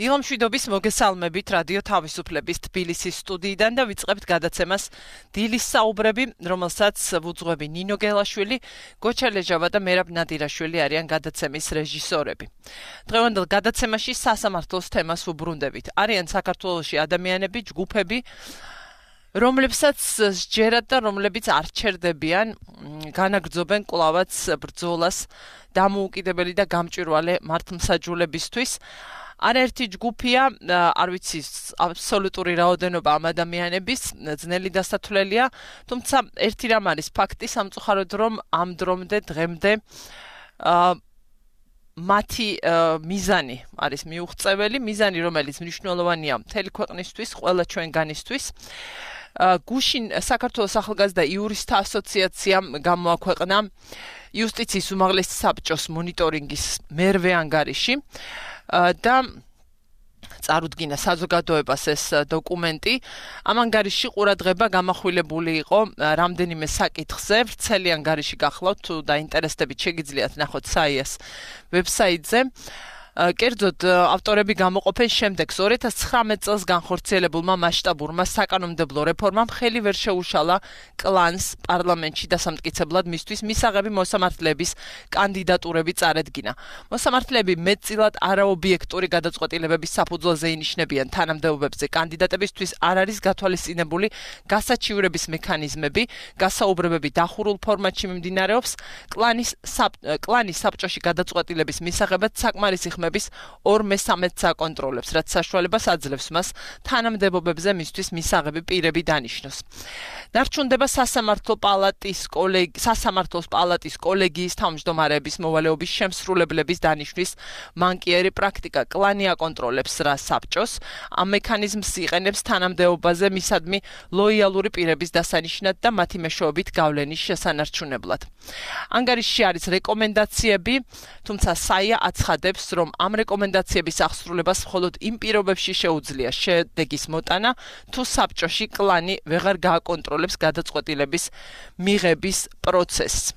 დილამშვიდობის მოგესალმებით რადიო თავისუფლების თბილისის სტუდიიდან და ვიწყებთ გადაცემას დილის საუბრები, რომელსაც ვუძღვები ნინო გელაშვილი, გოჩა ლეჟავა და მერაბ ნადირაშვილი არიან გადაცემის რეჟისორები. დღევანდელ გადაცემაში სასამართლოს თემას ვუბრუნდებით. არიან საქართველოში ადამიანები, ჯგუფები, რომლებსაც სჯერათ და რომლებიც არ ჩერდებიან, განაგრძობენ კვლავაც ბრძოლას დამოუკიდებელი და გამჭვირვალე მართლმსაჯულებისთვის. არაერთი ჯგუფია, არ ვიცი აბსოლუტური რაოდენობა ამ ადამიანების, ძნელი დასათვლელია, თუმცა ერთი რამ არის ფაქტი, სამწუხაროდ რომ ამ დრომდე დღემდე მათი მიზანი არის მიუღწეველი, მიზანი რომელიც მნიშვნელოვანია მთელი ქვეყნისთვის, ყველა ჩვენგანისთვის. გუშინ საქართველოს ახალგაზრდა იურისტთა ასოციაციამ გამოაქვეყნა იუსტიციის უმაღლესი საბჭოს მონიტორინგის მერვე ანგარიში და წარუდგინა საზოგადოებას ეს დოკუმენტი. ამ ანგარიში ყურადღება გამახვილებული იყო რამდენიმე საკითხზე, ვრცელი ანგარიში გახლავთ, თუ დაინტერესდებით შეგიძლიათ ნახოთ საიას ვებსაიტზე. კერძოდ ავტორები გამოყოფენ შემდეგს 2019 წელს განხორციელებულმა მასშტაბურმა საკანონმდებლო რეფორმამ ხელი ვერ შეუშალა კლანს პარლამენტში დასამტკიცებლად მისთვის მისაღები მოსამართლეების კანდიდატურები წარედგინა. მოსამართლეები მეტწილად არაობიექტური გადაწყვეტილებების საფუძველზე ინიშნებიან თანამდებობებზე კანდიდატებისთვის არ არის გათვალისწინებული გასაჩივრების მექანიზმები, გასაუბრებები დახურულ ფორმატში მიმდინარეობს, კლანის საბჭოში გადაწყვეტილების მისაღებად საკმარისი ხმების 2/3 საკონტროლებს, რაც საშუალებას აძლევს მას თანამდებობებზე მისთვის მისაღები პირები დანიშნოს. დარჩუნდება სასამართლოს პალატის კოლეგიის თავმჯდომარეების მოვალეობის შემსრულებლების დანიშვნის მანკიერი პრაქტიკა. კლანი აკონტროლებს რა საბჭოს, ამ მექანიზმს იყენებს თანამდებობაზე მისადმი ლოიალური პირების დასანიშნად და მათი მეშვეობით გავლენის შესანარჩუნებლად. ანგარიშში არის რეკომენდაციები, თუმცა საია აცხადებს, რომ ამ რეკომენდაციების აღსრულებას მხოლოდ იმ პირობებში შეუძლია შედეგის მოტანა, თუ საბჭოში კლანი ვეღარ გააკონტროლებს გადაწყვეტილების მიღების პროცესს.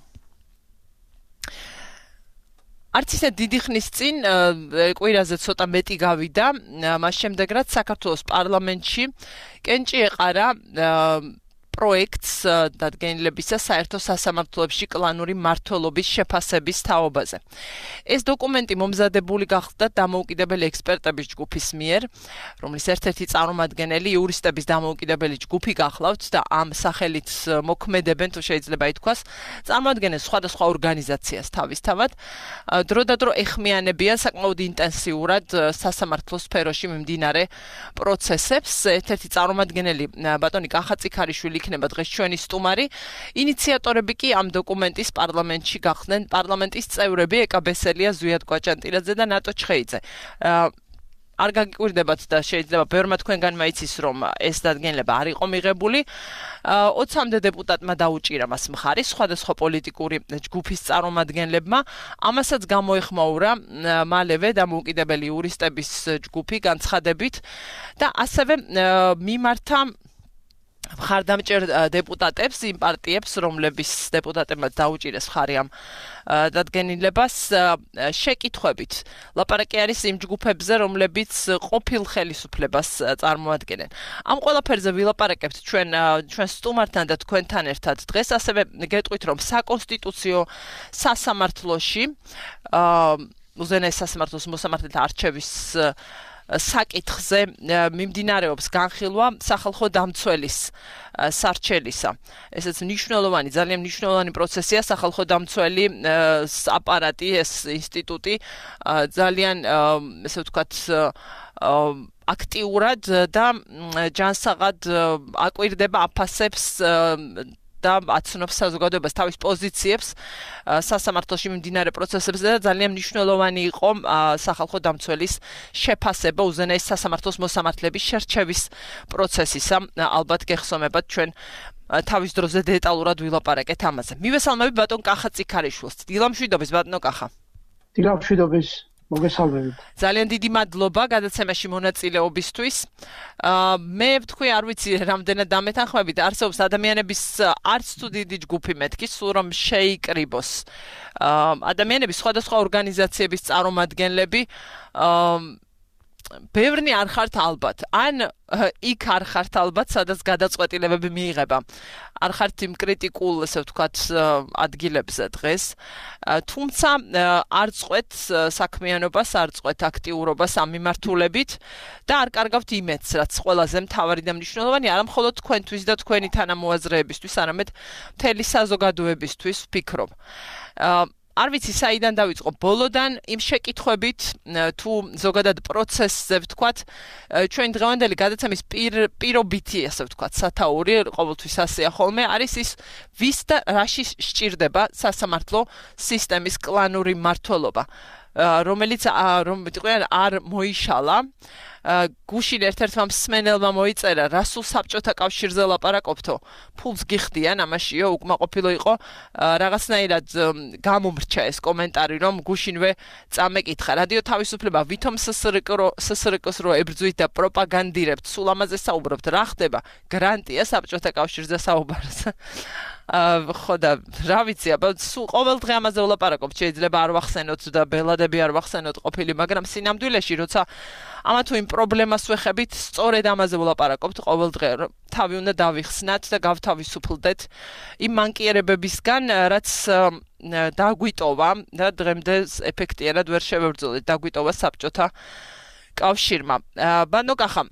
არც ისე დიდი ხნის წინ, კვირაზე ცოტა მეტი გავიდა, მას შემდეგ რაც საქართველოს პარლამენტში კენჭი ეყარა პროექტს დადგენილებისა საერთო სასამართლოებში კლანური მმართველობის შეფასების თაობაზე. ეს დოკუმენტი მომზადებული გახდა დამოუკიდებელი ექსპერტების ჯგუფის მიერ, რომლის ერთ-ერთი წარმომადგენელი იურისტების დამოუკიდებელი ჯგუფი გახლავთ და ამ სახელით მოქმედებენ, თუ შეიძლება ითქვას, წარმოადგენენ სხვადასხვა ორგანიზაციას თავისთავად. დრო და დრო ეხმიანებიან საკმაოდ ინტენსიურად სასამართლოს სფეროში მიმდინარე პროცესებს. ერთ-ერთი წარმომადგენელი ბატონი კახაწიქარიშვილი იქნება დღეს ჩვენი სტუმარი. ინიციატორები კი ამ დოკუმენტის პარლამენტში გახდნენ პარლამენტის წევრები ეკა ბესელია, ზვიად კვაჭანტილაძე და ნატო ჩხეიძე. არ გაგიკვირდებათ და შეიძლება ბევრმა თქვენგანმა იცის, რომ ეს დადგენილება არ იყო მიღებული. 20-მდე დეპუტატმა დაუჭირა მას მხარი სხვადასხვა პოლიტიკური ჯგუფის წარმომადგენლებმა. ამასაც გამოეხმაურა მალევე დამოუკიდებელი იურისტების ჯგუფი განცხადებით და ასევე მიმართა მხარდამჭერ დეპუტატებს, იმ პარტიებს, რომლების დეპუტატებმა დაუჭირეს მხარი ამ დადგენილებას შეკითხვებით. ლაპარაკი არის იმ ჯგუფებზე, რომლებიც ყოფილ ხელისუფლებას წარმოადგენენ. ამ ყველაფერზე ვილაპარაკებთ ჩვენ სტუმართან და თქვენთან ერთად დღეს, ასევე გეტყვით, რომ საკონსტიტუციო სასამართლოში უზენაეს სასამართლოს მოსამართლეთა არჩევის საკითხზე მიმდინარეობს განხილვა სახალხო დამცველის სარჩელისა. ესეც მნიშვნელოვანი, ძალიან მნიშვნელოვანი პროცესია. სახალხო დამცველი აპარატი, ეს ინსტიტუტი ძალიან, ესე ვთქვათ, აქტიურად და ჯანსაღად აკვირდება, აფასებს და აცნობს საზოგადოებას თავის პოზიციებს სასამართლოში მიმდინარე პროცესებზე და ძალიან მნიშვნელოვანი იყო სახალხო დამცველის შეფასება უზენაეს სასამართლოს მოსამართლეების შერჩევის პროცესისა. ალბათ გეხსომებათ ჩვენ თავის დროზე დეტალურად ვილაპარაკეთ ამაზე. მივესალმები ბატონ კახაწიქარიშვილს. დილამშვიდობის ბატონო კახა. დილამშვიდობის. მოგესალმებით. ძალიან დიდი მადლობა გადაცემაში მონაწილეობისთვის. მე ვთქვი, არ ვიცი რამდენად დამეთანხმებით, არსებობს ადამიანების არც თუ დიდი ჯგუფი მეთქი, სულ რომ შეიკრიბოს. ადამიანები სხვადასხვა ორგანიზაციების წარმომადგენლები ბევრნი არ ხართ ალბათ, ან იქ არ ხართ ალბათ, სადაც გადაწყვეტილებები მიიღება. არ ხართ იმ კრიტიკულ, ესე ვთქვათ, ადგილებზე დღეს. თუმცა არ წყვეთ საქმიანობას, არ წყვეთ აქტიურობას ამ მიმართულებით და არ კარგავთ იმედს, რაც ყველაზე მთავარი და მნიშვნელოვანი არა მხოლოდ თქვენთვის და თქვენი თანამოაზრეებისთვის, არამედ მთელი საზოგადოებისთვის ვფიქრობ. არ ვიცი საიდან დავიწყო ბოლოდან იმ შეკითხვებით თუ ზოგადად პროცესზე ვთქვათ ჩვენ დღევანდელი გადაცემის პირობითი ასე ვთქვათ სათაური ყოველთვის ასეა ხოლმე არის ის ვის და რაში სჭირდება სასამართლო სისტემის კლანური მმართველობა რომელიც არ მოიშალა გუშინ ერთ-ერთმა მსმენელმა მოიწერა რა სულ საბჭოთა კავშირზე ლაპარაკობთო ფულს გიხდიან ამაშიო უკმაყოფილო იყო რაღაცნაირად გამომრჩა ეს კომენტარი რომ გუშინვე წამეკითხა რადიო თავისუფლება ვითომ ssrk-ს რო ებრძვით და პროპაგანდირებთ სულ ამაზე საუბრობთ რა ხდება გრანტია საბჭოთა კავშირზე საუბარს ხო და რა ვიცი აბა სულ ყოველ დღე ამაზე ვლაპარაკობ შეიძლება არ ვახსენოთ და ბელადები არ ვახსენოთ ყოფილი მაგრამ სინამდვილეში როცა ამა თუ იმ პრობლემას ვეხებით სწორედ ამაზე ვლაპარაკობთ ყოველ დღე თავი უნდა დავიხსნათ და გავთავისუფლდეთ იმ მანკიერებებისგან რაც დაგვიტოვა და დღემდე ეფექტიანად ვერ შევებრძოლეთ დაგვიტოვა საბჭოთა კავშირმა ბანო კახა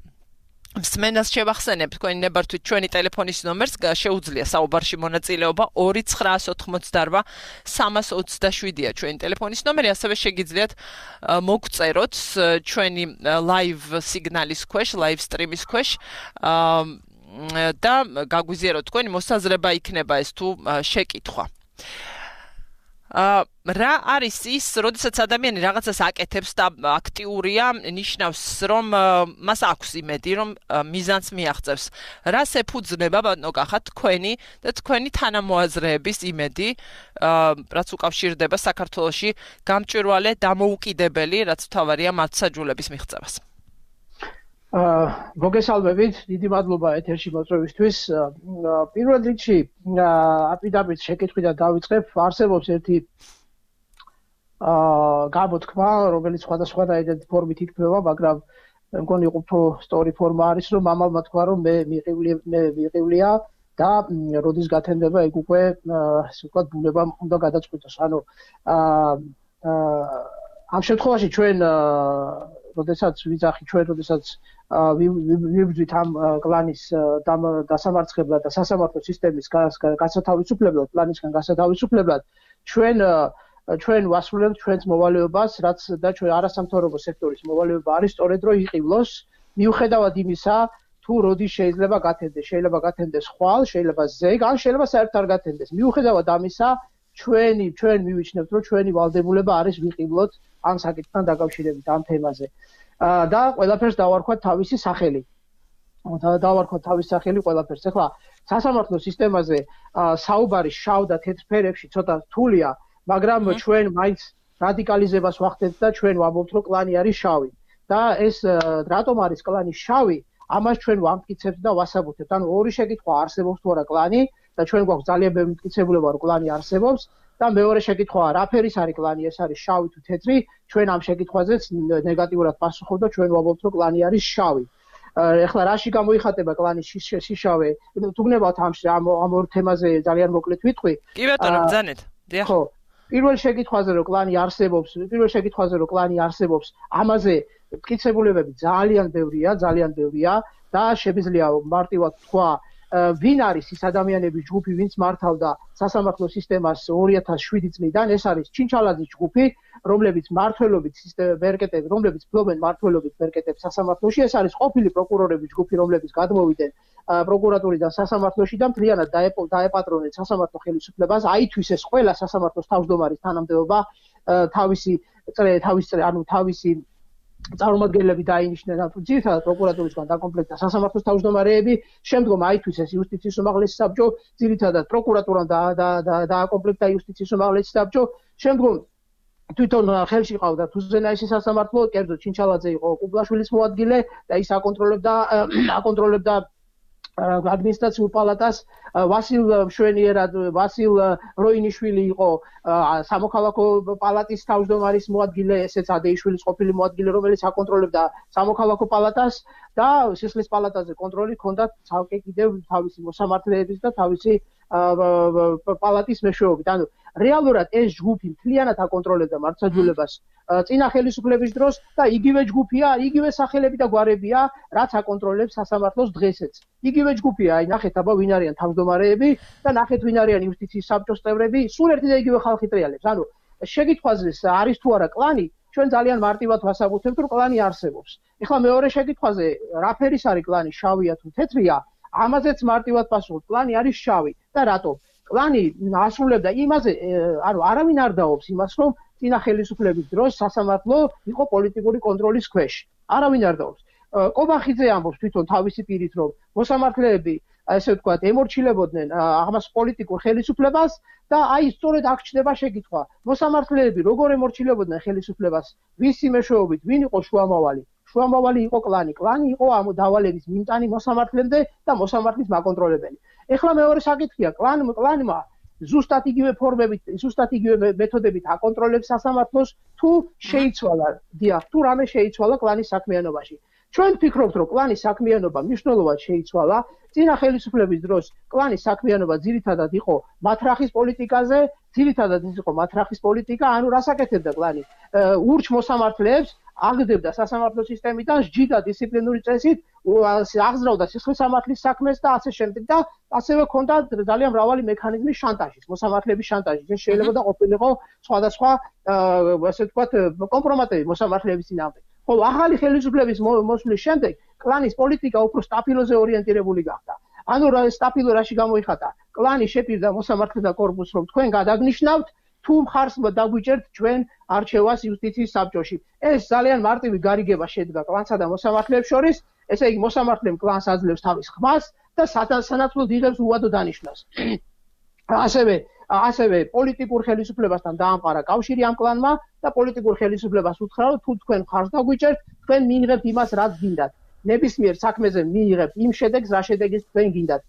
მსმენელს შევახსენებ თქვენი ნებართვით ჩვენი ტელეფონის ნომერს შეუძლია საუბარში მონაწილეობა 2988-327-ია ჩვენი ტელეფონის ნომერი ასევე შეგიძლიათ მოგწეროთ ჩვენი live სიგნალის ქვეშ live stream-ის ქვეშ და გაგვიზიაროთ თქვენი მოსაზრება იქნება ეს თუ შეკითხვა რა არის ის, როდესაც ადამიანი რაღაცას აკეთებს და აქტიურია, ნიშნავს, რომ მას აქვს იმედი, რომ მიზანს მიაღწევს. რას ეფუძნება, ბატონო კახა, თქვენი და თქვენი თანამოაზრეების იმედი, რაც უკავშირდება საქართველოში გამჭვირვალე დამოუკიდებელი, რაც მთავარია მართლმსაჯულების მიღწევას. მოგესალმებით, დიდი მადლობა ეთერში მოწვევისთვის. პირველ რიგში, აპირდაპირ შეკითხვიდან დავიწყებ, არსებობს ერთი გამოთქმა, რომელიც სხვადასხვანაირად ფორმით იქმნება, მაგრამ მე მგონი უფრო სწორი ფორმა არის, რომ მამალმა თქვა, რომ მე მიყივლია და როდის გათენდება ეგ უკვე, ასე ვთქვათ, ბუნებამ უნდა გადაწყვიტოს. ანუ ამ შემთხვევაში ჩვენ როდესაც ვიბრძვით ამ კლანის დასამარცხებლად და სასამართლო სისტემის გასათავისუფლებლად, კლანისგან გასათავისუფლებლად, ჩვენ ვასრულებთ ჩვენს მოვალეობას, რაც და ჩვენ არასამთავრობო სექტორის მოვალეობა არის სწორედ რომ იყივლოს, მიუხედავად იმისა, თუ როდის შეიძლება გათენდეს ხვალ, შეიძლება ზეგ, ან შეიძლება საერთოდ არ გათენდეს. მიუხედავად ამისა, ჩვენ მივიჩნევთ, რომ ჩვენი ვალდებულება არის ვიყივლოთ ამ საკითხთან დაკავშირებით ამ თემაზე. და ყველაფერს დავარქვათ თავისი სახელი. ყველაფერს. ეხლა სასამართლო სისტემაზე საუბარი შავ და თეთრ ფერებში ცოტა რთულია, მაგრამ ჩვენ მაინც რადიკალიზებას ვახდენთ და ჩვენ ვამბობთ, რომ კლანი არის შავი. და ეს რატომ არის კლანი შავი? ამას ჩვენ ვამტკიცებთ და ვასაბუთებთ. ანუ ორი შეკითხვა არსებობს თუ არა კლანი და ჩვენ გვაქვს ძალიან ბევრი მტკიცებულება, რომ კლანი არსებობს. და მეორე შეკითხვაა, რა ფერის არის კლანი, ეს არის შავი თუ თეთრი? ჩვენ ამ შეკითხვაზეც ნეგატიურად პასუხობთ და ჩვენ ვამბობთ, რომ კლანი არის შავი. ეხლა რაში გამოიხატება კლანის შიშავე? თუ გნებავთ ამ ორ თემაზე ძალიან მოკლედ ვიტყვი. კი ბატონო, ბრძანეთ. დიახ. ხო. პირველ შეკითხვაზე რომ კლანი არსებობს, ამაზე მტკიცებულებები ძალიან ბევრია და შეგვიძლია მარტივად თქვა ვინ არის ის ადამიანების ჯგუფი, ვინც მართავდა სასამართლო სისტემას 2007 წლიდან, ეს არის ჩინჩალაძის ჯგუფი, რომლებიც ფლობენ მმართველობით მერკეტებს სასამართლოში, ეს არის ყოფილი პროკურორების ჯგუფი, რომლებიც გადმოვიდნენ პროკურატურიდან სასამართლოში და მთლიანად დაეპატრონნენ სასამართლო ხელისუფლებას, აითვის ეს ყველა სასამართლოს თავმჯდომარის თანამდებობა, თავისი წარმომადგენლები დაინიშნენ ძირითადად პროკურატურისგან დაკომპლექტდა სასამართლოს თავმჯდომარეები, შემდგომ აითვის ეს იუსტიციის უმაღლესი საბჭო, ძირითადად პროკურატურამ დააკომპლექტდა იუსტიციის უმაღლესი საბჭო, შემდგომ თვითონ ხელში ყავდა თუზენაისის სასამართლო, კერძოდ ჩინჩალაძე იყო კუბლაშვილის მოადგილე და ის აკონტროლებდა ადმინისტრაციულ პალატას ვასილ მშვენიერად ვასილ როინიშვილი იყო სამოქალაქო პალატის თავმჯდომარის მოადგილე, ესეც ადეიშვილის ყოფილი მოადგილე, რომელიც აკონტროლებდა სამოქალაქო პალატას და სისხლის პალატაზე კონტროლი ჰქონდა ცალკე კიდევ თავისი მოსამართლეების და თავისი პალატის მეშვეობით. ანუ რეალურად ეს ჯგუფი მთლიანად აკონტროლებდა მართლმსაჯულებას წინა ხელისუფლების დროს და იგივე ჯგუფია, იგივე სახელები და გვარებია, რაც აკონტროლებს სასამართლოს დღესაც. იგივე ჯგუფია, აი ნახეთ აბა ვინ არიან თავმჯდომარეები და ნახეთ ვინ არიან იუსტიციის საბჭოს წევრები, სულ ერთი და იგივე ხალხი ტრიალებს. ანუ შეკითხვაზე არის თუ არა კლანი, ჩვენ ძალიან მარტივად ვასაბუთებთ, რომ კლანი არსებობს. ეხლა მეორე შეკითხვაზე, რა ფერის არის კლანი, შავია თუ თეთრია? ამაზეც მარტივად პასუხობთ, კლანი არის შავი და რატომ? კლანი ასრულებდა იმაზე, ანუ არავინ არ დაობს იმას, რომ წინა ხელისუფლების დროს სასამართლო იყო პოლიტიკური კონტროლის ქვეშ. არავინ არ დაობს. კობახიძე ამბობს თვითონ თავისი პირით, რომ მოსამართლეები, ესე ვთქვათ, ემორჩილებოდნენ ამას პოლიტიკურ ხელისუფლებას და აი სწორედ აქ ჩნდება შეკითხვა. მოსამართლეები როგორ ემორჩილებოდნენ ხელისუფლებას, ვისი მეშვეობით, ვინ იყო შუამავალი? შუამავალი იყო კლანი. კლანი იყო ამ დავალების მიმტანი მოსამართლემდე და მოსამართლის მაკონტროლებელი. ეხლა მეორე საკითხია, კლანმა ზუსტად იგივე ფორმებით, ზუსტად იგივე მეთოდებით აკონტროლებს სასამართლოს თუ შეიცვალა, დიახ, თუ რამე შეიცვალა კლანის საქმიანობაში. ჩვენ ვფიქრობთ, რომ კლანის საქმიანობა მნიშვნელოვნად შეიცვალა. წინა ხელისუფლების დროს კლანის საქმიანობა ძირითადად იყო მათრახის პოლიტიკაზე, ძირითადად ის იყო მათრახის პოლიტიკა, ანუ რას აკეთებდა კლანი? ურჩ მოსამართლეებს აგდებდა სასამართლო სისტემიდან სჯიდა დისციპლინური წესით, აღზრდავდა სისხლის სამართლის საქმეს და ასე შემდეგ და ასევე ჰქონდა ძალიან მრავალი მექანიზმი შანტაჟის, მოსამართლეების შანტაჟის. ეს შეიძლება და ყოფილიყო სხვადასხვა, ასე ვთქვათ, კომპრომატები მოსამართლეების წინააღმდეგ. ხოლო ახალი ხელისუფლების მოსვლის შემდეგ კლანის პოლიტიკა უფრო სტაფილოზე ორიენტირებული გახდა. ანუ სტაფილო რაში გამოიხატა? კლანი შეპირდა მოსამართლეთა კორპუსს, რომ თქვენ გადაგნიშნავთ თუ მხარს დაგვიჭერთ ჩვენ არჩევას იუსტიციის საბჭოში. ეს ძალიან მარტივი გარიგება შედგა კლანსა და მოსამართლეებს შორის, ესე იგი მოსამართლემ კლანს აძლევს თავის ხმას და სანაცვლოდ იღებს უვადო დანიშვნას. ასევე პოლიტიკურ ხელისუფლებასთან დაამყარა კავშირი ამ კლანმა და პოლიტიკურ ხელისუფლებას უთხრა, რომ თუ თქვენ მხარს დაგვიჭერთ, თქვენ მიიღებთ იმას, რაც გინდათ. ნებისმიერ საქმეზე მიიღებთ იმ შედეგს, რა შედეგის თქვენ გინდათ.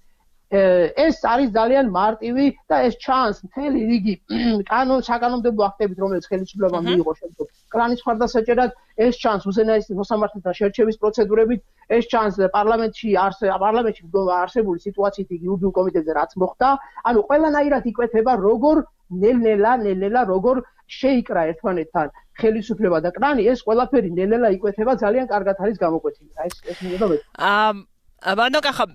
ეს არის ძალიან მარტივი და ეს ჩანს მთელი რიგი საკანონმდებლო აქტებით, რომელიც ხელისუფლებამ მიიღო შემდგომ კლანის მხარდასაჭერად, ეს ჩანს უზენაესი მოსამართლეთა შერჩევის პროცედურებით, ეს ჩანს პარლამენტში არსებული სიტუაციით იურიდიულ კომიტეტზე რაც მოხდა, ანუ ყველანაირად იკვეთება როგორ ნელ-ნელა როგორ შეიკრა ერთმანეთთან ხელისუფლება და კლანი, ეს ყველაფერი ნელ-ნელა იკვეთება, ძალიან კარგად არის გამოკვეთილი. ეს მინდა მე. ბანოკახა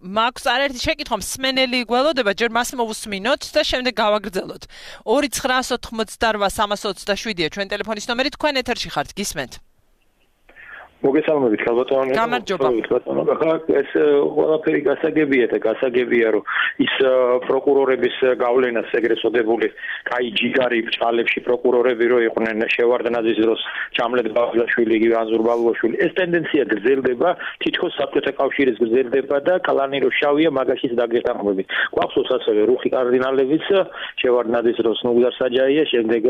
მაქვს არაერთი შეკითხვა, მსმენელი გველოდება, ჯერ მას მოვუსმინოთ და შემდეგ გავაგრძელოთ. 2988327-ია ჩვენ ტელეფონის ნომერი, თქვენ ეთერში ხართ, გისმენთ. მოგესალმებით, ხალბატონო. გამარჯობა. ახლა ეს ყველაფერი გასაგებია და გასაგებია, რომ ის პროკურორების გავლენას ეგრეთ წოდებული, კაი ჯიგარი ბჭყალებში პროკურორები რო იყვნენ შევარდნაძის დროს, ჩამლეთ ბაღლაშვილი, იგივე ანზურ ბალუაშვილი, ეს ტენდენცია გრძელდება, თითქოს საბჭოთა კავშირის გრძელდება და კლანი რო შავია, მაგაშიც დაგეხმარებით. გვახსოვს ასევე რუხი კარდინალებიც შევარდნაძის დროს ნუგდარ საჯაია, შემდეგ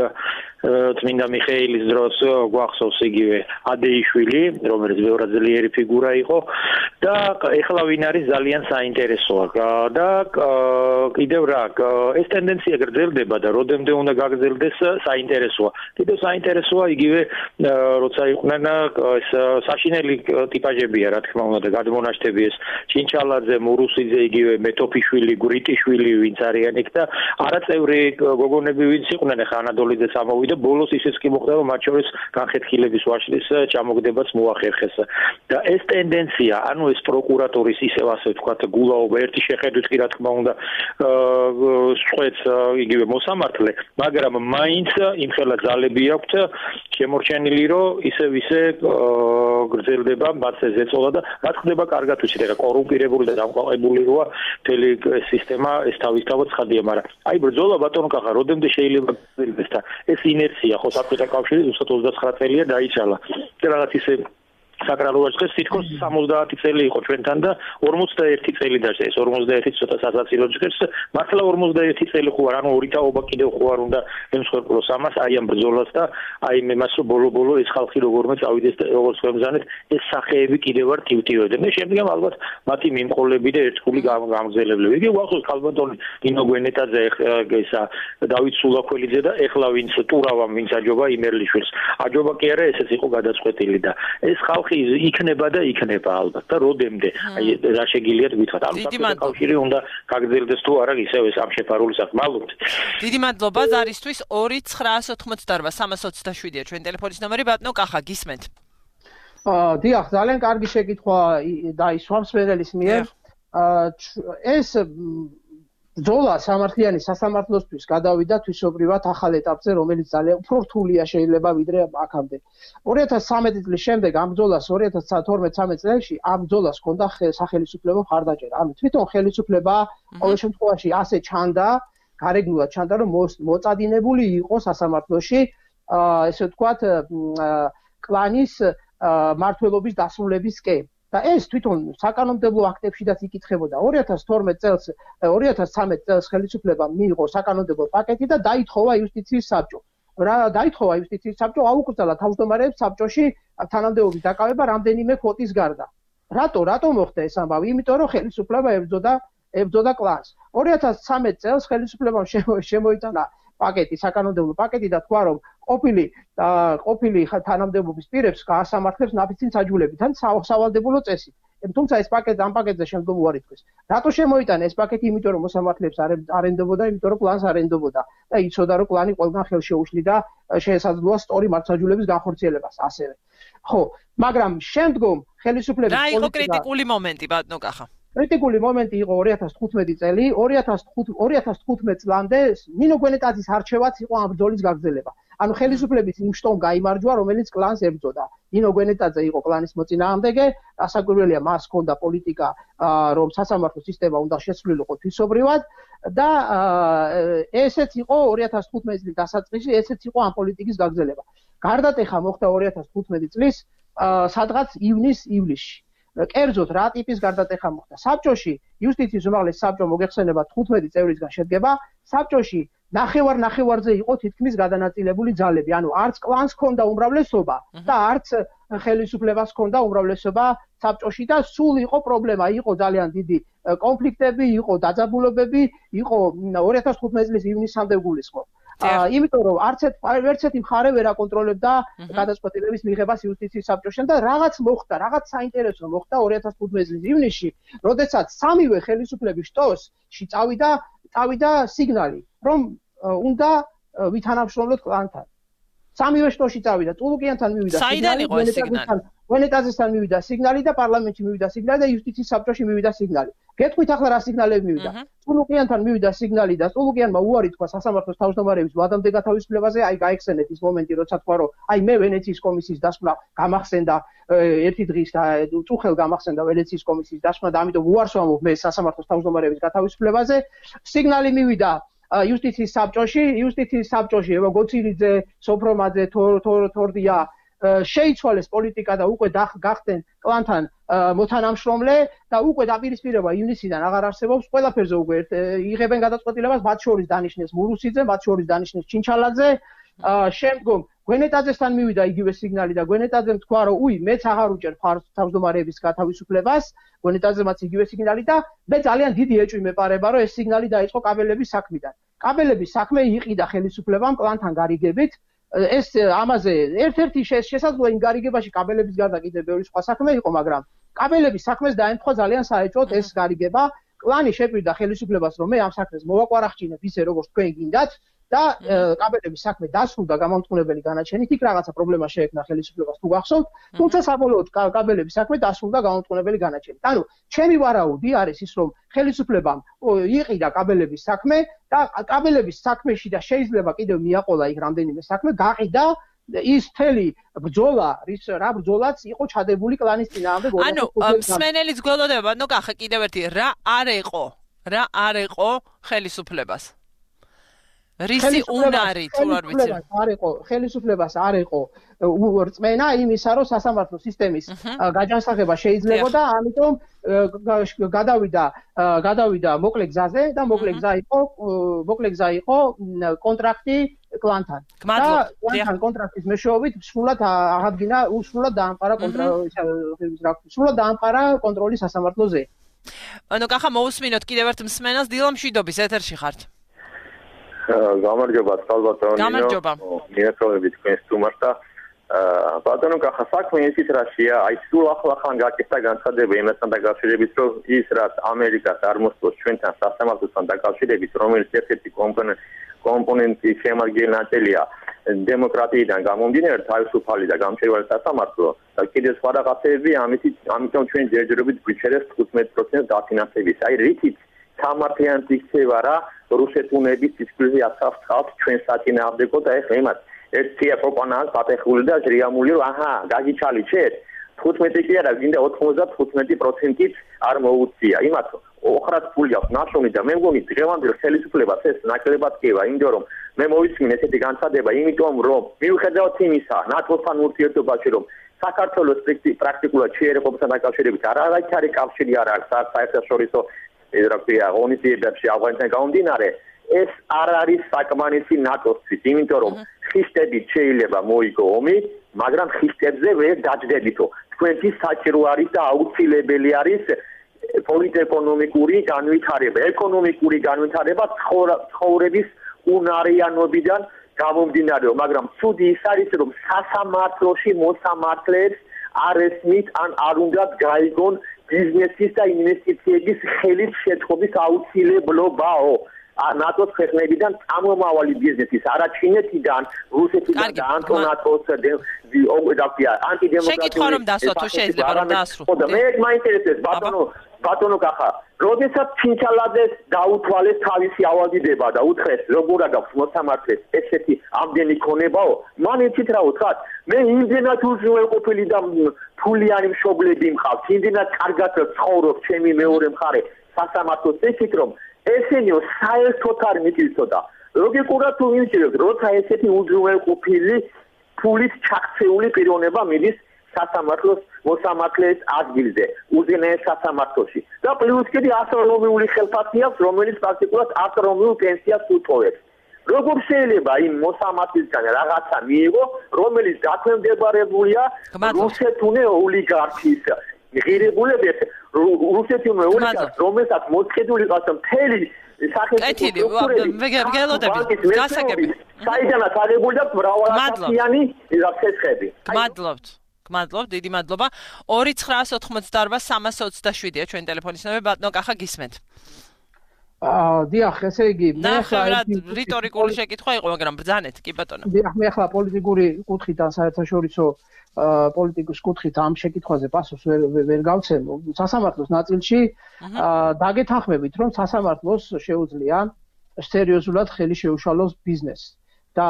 წმინდა მიხეილის დროს გვახსოვს იგივე ადეიშვილი, რომელიც ბევრად ძლიერი ფიგურა იყო და ეხლა ვინ არის ძალიან საინტერესოა და კიდევ რა ეს ტენდენცია გრძელდება და როდემდე უნდა გაგრძელდეს საინტერესოა. კიდევ საინტერესოა იგივე როცა იყვნენ ეს საშინელი ტიპაჟებია რა თქმა უნდა და გადმონაშთები ეს ჩინჩალაძე, მურუსიძე, იგივე მეტოფიშვილი, გვრიტიშვილი ვინც არიან იქ და არაწევრი გოგონები ვინც იყვნენ ახლა ანადოლიძეც ამოვიდა ბოლოს ისიც კი მოხდა რომ მათ შორის განხეთქილების ვაშლის ჩამოგდებაც მოახერხეს და ეს ტენდენცია, ანუ ეს პროკურატურის ისევ ასე ვთქვათ გულაობა ერთი შეხედვით კი რა თქმა უნდა სწვეთს იგივე მოსამართლე, მაგრამ მაინც იმხელა ძალები აქვთ შემორჩენილი რომ ისე გრძელდება მათზე ზეწოლა და რა ხდება კარგად ვიცით რა კორუმპირებული და დამყარებული როა მთელი სისტემა ეს თავისთავად ცხადია, მაგრამ აი ბრძოლა ბატონო კახა როდემდე შეიძლება გრძელდეს და ეს ინერცია ხო საბჭოთა კავშირი ზუსტად 29 წელია დაიცალა და რაღაც ისე საკრალოა დღეს თითქოს 70 წელი იყო ჩვენთან და 41 წელი დაჭდა ეს 41 ცოტა სასაცილო ჯგერს მართლა 41 წელი ხო არ ანუ ორი თაობა კიდევ ხო არ უნდა ემსხვერპლოს ამას აი ამ ბრძოლას და აი იმას რომ ბოლო ეს ხალხი როგორმე წავიდეს როგორც ხემზანეთ ეს სახეები კიდევ არ ტივტივებდნენ მე შემდგომ ალბათ მათი მიმყოლები და ერთგული გამგზელებლები იგი უახსოვს ქალბატონი ნინო გვენეტაძე ისა დავით სულაქველიძე და ეხლა ვინც ტურავამ ვინც აჯობა იმერლიშვილს აჯობა კი არა ესეც იყო გადაწყვეტილი და ეს ხალხი იქნება და იქნება ალბათ და როდემდე აი რა შეგიძლიათ გითხრათ ანუ საქართველოს კავშირი უნდა გაგრძელდეს თუ არა ისევ ეს ამ შეფარული საქმე დიდი მადლობა ზარისთვის 2-988-327-ია ჩვენ ტელეფონის ნომერი ბატონო კახა გისმენთ დიახ ძალიან კარგი შეკითხვა და ის სვამსმენელის მიერ ეს ბრძოლა სამართლიანი სასამართლოსთვის გადავიდა თვისობრივად ახალ ეტაპზე, რომელიც ძალიან უფრო რთულია შეიძლება ვიდრე აქამდე. 2013 წლის შემდეგ ამ ბრძოლას 2012-13 წელს ამ ბრძოლას ჰქონდა სახელმწიფო მხარდაჭერა. ანუ თვითონ ხელისუფლება ყოველ შემთხვევაში ასე ჩანდა, გარეგნულად ჩანდა, რომ მოწადინებული იყო სასამართლოში, ესე ვთქვათ, კლანის მმართველობის დასრულებისკენ. და ეს თვითონ საკანონმდებლო აქტებშიდაც იკითხებოდა 2012 წელს 2013 წელს ხელისუფლებამ მიიღო საკანონმდებლო პაკეტი და დაითხოვა იუსტიციის საბჭო. რა დაითხოვა იუსტიციის საბჭო აუკრძალა თავმჯდომარეებს საბჭოში თანამდებობის დაკავება რამდენიმე კვოტის გარდა. რატო მოხდა ეს ამბავი? იმიტომ რომ ხელისუფლება ებრძოდა კლანს. 2013 წელს ხელისუფლებამ შემოიტანა პაკეტი, საკანონმდებლო პაკეტი და თქვა რომ ყოფილი თანამდებობის პირებს გაასამართლებს ნაფიცი საჯულებით ან სავალდებულო წესით. თუმცა ეს პაკეტი ამ პაკეტზე შემდგომ უარი თქვეს. რატო შემოიტანა ეს პაკეტი? იმიტომ რომ მოსამართლეებს არ ენდობოდა, იმიტომ რომ კლანს არ ენდობოდა და იცოდა რომ კლანი ყველგან ხელს შეუშლიდა შეესაძლოა სწორი მართლმსაჯულების განხორციელებას ასევე. ხო, მაგრამ შემდგომ ხელისუფლების რა იყო კრიტიკული მომენტი ბატონო კახა? კრიტიკული მომენტი იყო 2015 წელი, 2015 წლამდე ნინო გვენეტაძის არჩევაც იყო ამ ბრძოლის გაგრძელება. ანუ ხელისუფლების იმ შტომ გაიმარჯვა, რომელიც კლანს ებრძოდა. ნინო გვენეტაძე იყო კლანის მოწინააღმდეგე, ასაკვირველია მას ჰქონდა პოლიტიკა, რომ სასამართლო სისტემა უნდა შესრულიყო თვისობრივად და ესეც იყო 2015 წლის დასაწყისი, ესეც იყო ამ პოლიტიკის გაგრძელება. გარდატეხა მოხდა 2015 წლის სადღაც ივლისში. კერძოდ რა ტიპის გარდატეხა მოხდა? საბჭოში იუსტიციის უმაღლესი საბჭო მოგეხსენება 15 წევრისგან შედგება. საბჭოში ნახევარზე იყო თითქმის გადანაწილებული ძალები. ანუ არც კლანს ჰქონდა უმრავლესობა და არც ხელისუფლებას ჰქონდა უმრავლესობა საბჭოში და სულ იყო პრობლემა, იყო ძალიან დიდი კონფლიქტები, იყო დაძაბულობები, იყო 2015 წლის ივნისამდე გულისხმობ. იმიტომ რომ არც ერთი მხარე ვერ აკონტროლებდა გადაწყვეტილების მიღებას იუსტიციის საბჭოში და რაღაც მოხდა, რაღაც საინტერესო მოხდა 2015 წლის ივნისში, როდესაც სამივე ხელისუფლების შტოში წავიდა სიგნალი, რომ უნდა ვითანამშრომლოთ კლანთან. სამივე შტოში წავიდა, წულუკიანთან მივიდა სიგნალი, გვენეტაძესთან მივიდა სიგნალი და პარლამენტში მივიდა სიგნალი და იუსტიციის საბჭოში მივიდა სიგნალი. გეტყვით ახლა რა სიგნალები მივიდა? წულუკიანთან მივიდა სიგნალი და წულუკიანმა უარი თქვა სასამართლოს თავმჯდომარეების ვადამდე გათავისუფლებაზე, აი გაიხსენეთ ის მომენტი, როცა თქვა რომ აი მე ვენეციის კომისიის დასკვნა გამახსენდა ერთი დღის და წუხელ გამახსენდა ვენეციის კომისიის დასკვნა და ამიტომ უარს ვამბობ მე სასამართლოს თავმჯდომარეების გათავისუფლებაზე. სიგნალი მივიდა იუსტიციის საბჭოში ევო გოცირიძე, სოფრომაძე, თორდია შეიცვალეს პოლიტიკა და უკვე გახდნენ კლანთან მოთანამშრომლე და უკვე დაპირისპირება ივნისიდან აღარ არსებობს, ყველაფერზე უკვე იღებენ გადაწყვეტილებას, მათ შორის დანიშნეს მურუსიძე, მათ შორის დანიშნეს ჩინჩალაძე. შემდგომ გვენეტაძესთან მივიდა იგივე სიგნალი და გვენეტაძემ თქვა რომ უი მეც აღარ უჭერ ფარს თავმჯდომარეების გათავისუფლებას, გვენეტაძემაც იგივე სიგნალი და მე ძალიან დიდი ეჭვი მეპარება რომ ეს სიგნალი დაიწყო კაბელების საქმიდან. კაბელების საქმე იყიდა ხელისუფლებამ კლანთან გარიგებით. ეს ამაზე ერთ-ერთი შესაძლოა იმ გარიგებაში კაბელების გარდა კიდევ ბევრი სხვა საქმე იყო, მაგრამ კაბელების საქმეს დაემთხვა ძალიან საეჭვოდ ეს გარიგება. კლანი შეპირდა ხელისუფლებას, რომ მე ამ საქმეს მოვაკვარახჭინებ ისე როგორც თქვენ გინდათ და კაბელების საქმე დასრულდა გამამტყუნებელი განაჩენით, იქ რაღაცა პრობლემა შეექმნა ხელისუფლებას თუ გახსოვთ, თუმცა საბოლოოდ კაბელების საქმე დასრულდა გამამტყუნებელი განაჩენით. ანუ ჩემი ვარაუდი არის ის, რომ ხელისუფლებამ იყიდა კაბელების საქმე და კაბელების საქმეში და შეიძლება კიდევ მიაყოლა იქ რამდენიმე საქმე, გაყიდა ის მთელი ბრძოლა, რა ბრძოლაც იყო ჩადებული კლანის წინააღმდეგ. ანუ მსმენელის გველოდება, ნუ კახა კიდევ ერთი, რა არ იყო ხელისუფლებას? რისი უნარი თუ არ ვიცი. ხელისუფლებას არ იყო რწმენა იმისა, რომ სასამართლო სისტემის გაჯანსაღება შეიძლებოდა, ამიტომ გადავიდა მოკლე გზაზე და მოკლე გზა იყო კონტრაქტი კლანთან. და კლანთან კონტრაქტის მეშვეობით სრულად დაამყარა კონტროლი სასამართლოზე. ანუ კახა მოусმინოთ კიდევ ერთ მსმენელს დილა მშვიდობის ეთერში ხართ. გამარჯობა წყალბატონო. გამარჯობა. მიესალმებით თქვენს სტუმარს და ბატონო კახა საქმე ისიც რაშია, აი სულ ახლახან გაკეთდა განცხადება იმასთან დაკავშირებით, რომ ის რაც ამერიკას არ მოსწონს ჩვენთან სასამართლოსთან დაკავშირებით, რომელიც ერთ-ერთი კომპონენტი შემადგენელია დემოკრატიიდან გამომდინარე, თავისუფალი და გამჭვირვალე სასამართლო და კიდევ სხვა რაღაცები, ამიტომ ჩვენ ჯერჯერობით გვიჩერებს 15% დაფინანსების. აი რითიც სამართლიანად იქცევა რა რუსეთუნების სისხლზე აცავთ ჩვენ საწინააღმდეგო და ეხლა იმათ ერთია პროპანას პატეხული და ჟრიამული რომ აჰა გაგიჩალიჩეთ 15 კი არა გინდა 95%-ით არ მოუწია იმათ ოხრად ფული აქვს ნაშრომი და მე მგონი დღევანდელ ხელისუფლებას ეს ნაკლებად კევა იმიტომ რომ მე მოვისმინე ესეთი განცხადება იმიტომ რომ მიუხედავად იმისა ნატოსთან ურთიერთობაში რომ საქართველოს პრაქტიკულად შეერეყოფასთან დაკავშირებით არაერთი კავშირი არ აქვს საერთაშორისო ევროპია ღონისძიებებში ავღანეთთან გამომდინარე ეს არ არის საკმარისი ნატოსთვის იმიტომ რომ ხისტებით შეიძლება მოიგო ომი მაგრამ ხისტებზე ვერ დაждდებითო თქვენთვის საჭირო არის და აუცილებელი არის პოლიტ-ეკონომიკური განვითარება ეკონომიკური განვითარება ცხოვრების უნარიანობიდან გამომდინარეო მაგრამ ცუდი ის არის რომ სასამართლოში მოსამართლეებს არ ესმით ან არ უნდათ გაიგონ ბიზნესის და ინვესტიციების ხელის შეწყობის აუცილებლობაო ნატოს ქვეყნებიდან წამომავალი ბიზნესის არა ჩინეთიდან რუსეთიდან და ანტონატოს ანტიდემოკრატიული შეკითხვა რომ დასვა თუ შეიძლება რომ დაასრულო ხო და მე მაინტერესებს ბატონო კახა როდესაც ჩინჩალაძეს დაუთვალეს თავისი ავალდიდება და უთხრეს როგორ აქვს მოსამართლეს ესეთი ამდენი ქონებაო მან იცით რა უთხრათ მე იმდენად უზრუნველყოფილი და ფულიანი მშობლები მყავს იმდენად კარგად ცხოვრობ ჩემი მეორე მხარე სასამართლოს ეკით რომ ესენიო საერთოდ არ მიწვიცოდა ლოგიკურად თუ ვიმჩნევთ როცა ესეთი უზრუნველყოფილი ფულით ჩაქცეული პიროვნება მიდის სასამართლოს მოსამართლეს ადგილზე უზენაეს სასამართლოში და პლუს კიდე ასტრონომიული ხელფასი აქვს რომელიც პრაქტიკულად ასტრონომიულ პენსიას უთოვებს როგორ შეიძლება იმ მოსამართლისგან რაღაცა მიიღო რომელიც დაქვემდებარებულია რუსეთუნე ოლიგარქის ღირებულებით რუსეთუნე ოლიგარქს რომელსაც მოწხედული ყავს მთელი სახელმწიფო საიდანაც აღებული აქვს მრავალასიანი ცეცხლები გმადლობთ დიდი მადლობა 2988-327-ია ჩვენი ტელეფონის ნომერი ბატონო კახა გისმენთ დიახ ესე იგი მე ახლა რიტორიკული შეკითხვა იყო მაგრამ ბრძანეთ კი ბატონო დიახ მე ახლა პოლიტიკური კუთხიდან საერთაშორისო პოლიტიკის კუთხით ამ შეკითხვაზე პასუხს ვერ გავცემ სასამართლოს ნაწილში დაგეთანხმებით რომ სასამართლოს შეუძლია სერიოზულად ხელი შეუშალოს ბიზნესს და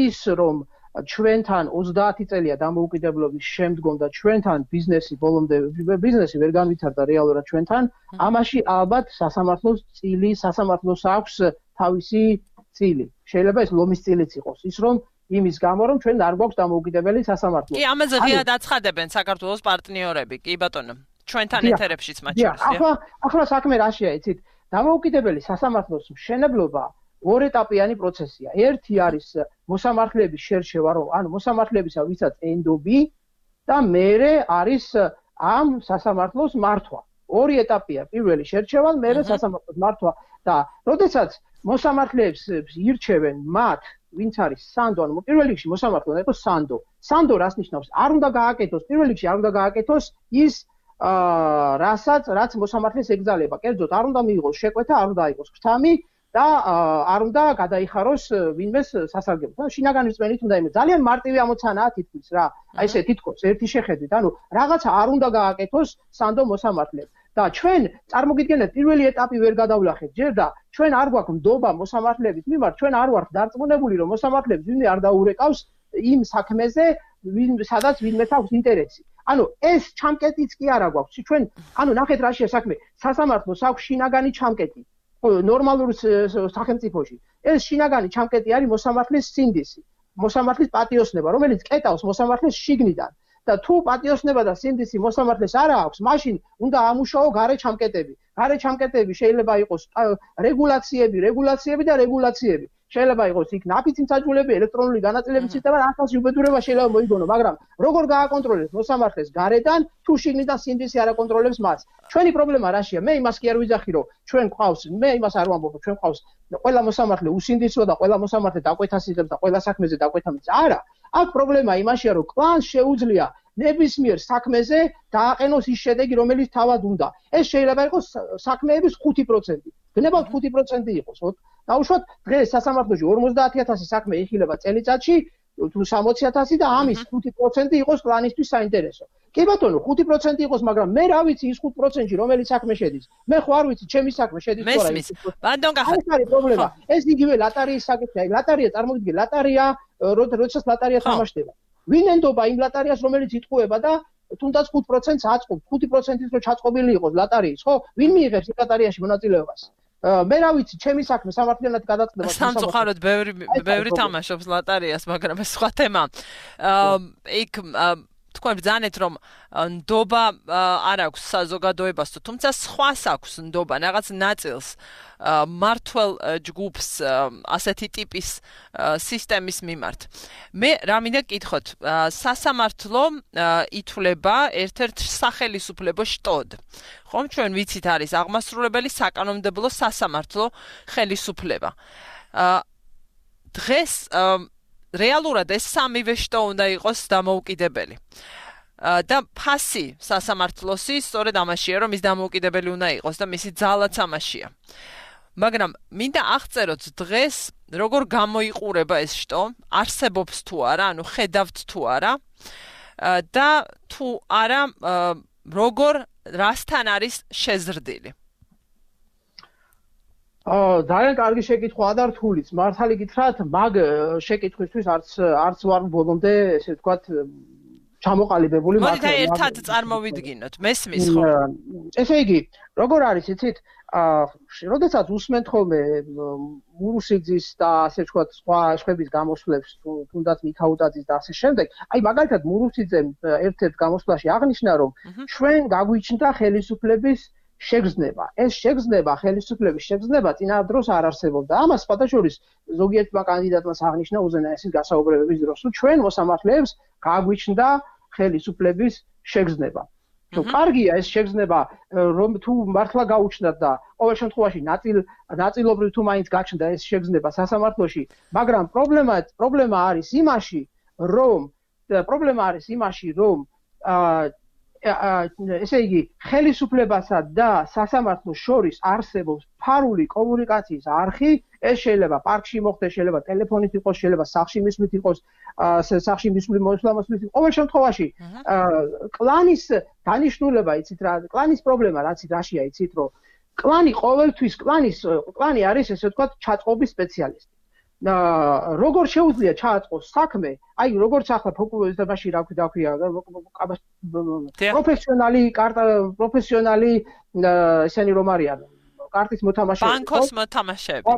ის რომ ჩვენთან 30 წელია დამოუკიდებლობის შემდგომ და ჩვენთან ბიზნესი ვერ განვითარდა რეალურად ჩვენთან ამაში ალბათ სასამართლოს აქვს თავისი წილი შეიძლება ეს ლომის წილიც იყოს ის რომ იმის გამო რომ ჩვენ არ გვაქვს დამოუკიდებელი სასამართლო კი ამაზე ღიად აცხადებენ საქართველოს პარტნიორები კი ბატონო ჩვენთან ეთერებშიც მათ შორის ახლა საქმე რაშია იცით დამოუკიდებელი სასამართლოს მშენებლობა ორ-ეტაპიანი პროცესია. ერთი არის მოსამართლეების შერჩევა, ანუ მოსამართლებისა ვისაც ენდობი და მერე არის ამ სასამართლოს მართვა. ორი ეტაპია. პირველი შერჩევა, მერე სასამართლოს მართვა და როდესაც მოსამართლეებს ირჩევენ მათ, ვინც არის სანდო, ანუ პირველ რიგში მოსამართლე უნდა იყოს სანდო. სანდო რას ნიშნავს? არ უნდა გააკეთოს, პირველ რიგში არ უნდა გააკეთოს ის რაც მოსამართლეს ეკძალება. კერძოდ არ უნდა მიიღოს შეკვეთა, არ უნდა აიღოს ფრთამი და არ უნდა გადაიხაროს ვინმეს სასარგებლოდ. ანუ შინაგანი რწმენით უნდა იმე. ძალიან მარტივი ამოცანაა თითქმის რა. აი ესე თითქოს ერთი შეხედვით. ანუ რაღაცა არ უნდა გააკეთოს სანდო მოსამართლეს. და ჩვენ წარმოგიდგენთ პირველი ეტაპი ვერ გადავლახეთ ჯერ და ჩვენ არ გვაქვს ნდობა მოსამართლეების მიმართ, ჩვენ არ ვართ დარწმუნებული რომ მოსამართლეებს ვინმე არ დაურეკავს იმ საქმეზე, სადაც ვინმე აქვს ინტერესი. ანუ ეს ჩამკეტიც კი არა გვაქვს. ჩვენ ანუ ნახეთ რაშია საქმე. სასამართლოს აქვს შინაგანი ჩამკეტი. ნორმალურ სახელმწიფოში. ეს შინაგანი ჩამკეტი არის მოსამართლის სინდისი, მოსამართლის პატიოსნება, რომელიც კეტავს მოსამართლის შიგნიდან. და თუ პატიოსნება და სინდისი მოსამართლეს არ აქვს, მაშინ უნდა ამუშაო გარე ჩამკეტები. გარე ჩამკეტები შეიძლება იყოს რეგულაციები და რეგულაციები. შეიძლება იყოს იქ ნაფიცი მსაჯულები, ელექტრონული განაწილების სისტემა, ახალ უბედურება შეიძლება მოიგონო, მაგრამ როგორ გააკონტროლებს მოსამართლეს გარედან, თუ შიგნიდან სინდისი არ აკონტროლებს მას. ჩვენი პრობლემა რაშია? მე იმას კი არ ვიძახი, რომ ჩვენ ყავს, მე იმას არ ვამბობ, რომ ჩვენ ყავს ყველა მოსამართლე უსინდისოა და ყველა მოსამართლე დაკვეთას იღებს და ყველა საქმეზე დაკვეთა მის. არა, აქ პრობლემა იმაშია, რომ კლანს შეუძლია ნებისმიერ საქმეზე დააყენოს ის შედეგი, რომელიც თავად უნდა. ეს შეიძლება იყოს საქმეების 5%. გნებავთ 5% იყოს, ხო? დაუშვათ დღეს სასამართლოში 50000 საქმე იხილება წელიწადში, თუ 60000 და ამის 5% იყოს კლანისთვის საინტერესო. კი ბატონო, 5% იყოს, მაგრამ მე რა ვიცი ის 5%-ში რომელიც საქმე შედის. მე ხო არ ვიცი, ჩემი საქმე შედის თუ არა. ეს არის პრობლემა. ეს იგივე ლატარიის საკითხია. ლატარია წარმოგიდგენ, ლატარია, როდესაც ლატარია თამაშდება. ვინ ენდობა იმ ლატარიას, რომელიც იტყუება და თუნდაც 5%-ს აწყობს, 5%-ით რო ჩაწყობილი იყოს ლატარიის, ხო? ვინ მიიღებს იმ ლატარიაში მონაწილეობას? მე რა ვიცი, ჩემი საქმე სამართლიანად გადაწყდება. სამწუხაროდ ბევრი თამაშობს ლატარიას, მაგრამ ეს სხვა თემა. იქ თქვენ ბრძანეთ, რომ ნდობა არ აქვს საზოგადოებას, თუმცა სხვას აქვს ნდობა, რაღაც ნაწილს მართლ ჯგუფს ასეთი ტიპის სისტემის მიმართ. მე რა მინდა გკითხოთ, სასამართლო ითვლება ერთ-ერთ სახელისუფლებო შტოდ. ხომ ჩვენ ვიცით არის აღმასრულებელი საკანონმდებლო სასამართლო ხელისუფლება. დღეს რეალურად ეს სამივე შტო უნდა იყოს დამოუკიდებელი. და ფასი სასამართლოსი სწორედ ამაშია, რომ ის დამოუკიდებელი უნდა იყოს და მისი ძალაც ამაშია. მაგრამ მინდა აღწეროთ დღეს როგორ გამოიყურება ეს შტო, არსებობს თუ არა, ანუ ხედავთ თუ არა და თუ არა როგორ რასთან არის შეზრდილი. ძალიან კარგი შეკითხვა ადართულიც. მართალი გითხრათ, მაგ შეკითხვისთვის არც ვარ ბოლომდე, ესე ვთქვათ, ჩამოყალიბებული. მოდით ერთად წარმოვიდგინოთ. მესმის ხო? ესე იგი, როგორ არის, იცით? როდესაც უსმენთ ხოლმე მურუსიძის და ასე ვთქვათ, სხვა შეხების გამოსვლებს, თუნდაც მიქაუტაძის და ასე შემდეგ, აი მაგალითად მურუსიძემ ერთ-ერთ გამოსვლაში აღნიშნა, რომ ჩვენ გაგვიჩნდა ხელისუფლების შეგრძნება. ეს შეგრძნება, ხელისუფლების შეგრძნება წინა დროს არ არსებობდა. ამას სხვადასხვა ზოგიერთმა კანდიდატმა აღნიშნა უზენაესის გასაუბრებების დროს, რომ ჩვენ მოსამართლეებს გაგვიჩნდა ხელისუფლების შეგრძნება. თუ კარგია ეს შეგრძნება, რომ თუ მართლა გაუჩნდათ და ყოველ შემთხვევაში ნაწილობრივ თუ მაინც გაჩნდა ეს შეგრძნება სასამართლოში, მაგრამ პრობლემა არის იმაში, რომ ესე იგი, ხელისუფლებასა და სასამართლოს შორის არსებობს ფარული კომუნიკაციის არხი, ეს შეიძლება პარკში მოხდეს, შეიძლება ტელეფონით იყოს, შეიძლება სახლში მისვლით იყოს, სახლში მისვლის მოსვლით. ყოველ შემთხვევაში, კლანის დანიშნულება, იცით რა, კლანის პრობლემა რაშია, იცით, რომ კლანი ყოველთვის კლანი არის, ესე ვთქვათ, ჩაწყობის სპეციალისტი. როგორ შეუძლია ჩააწყოს საქმე, აი როგორც ახლა ფოკუსებაში რა ქვია, პროფესიონალი ესენი რომ არიან, კარტის მოთამაშეები,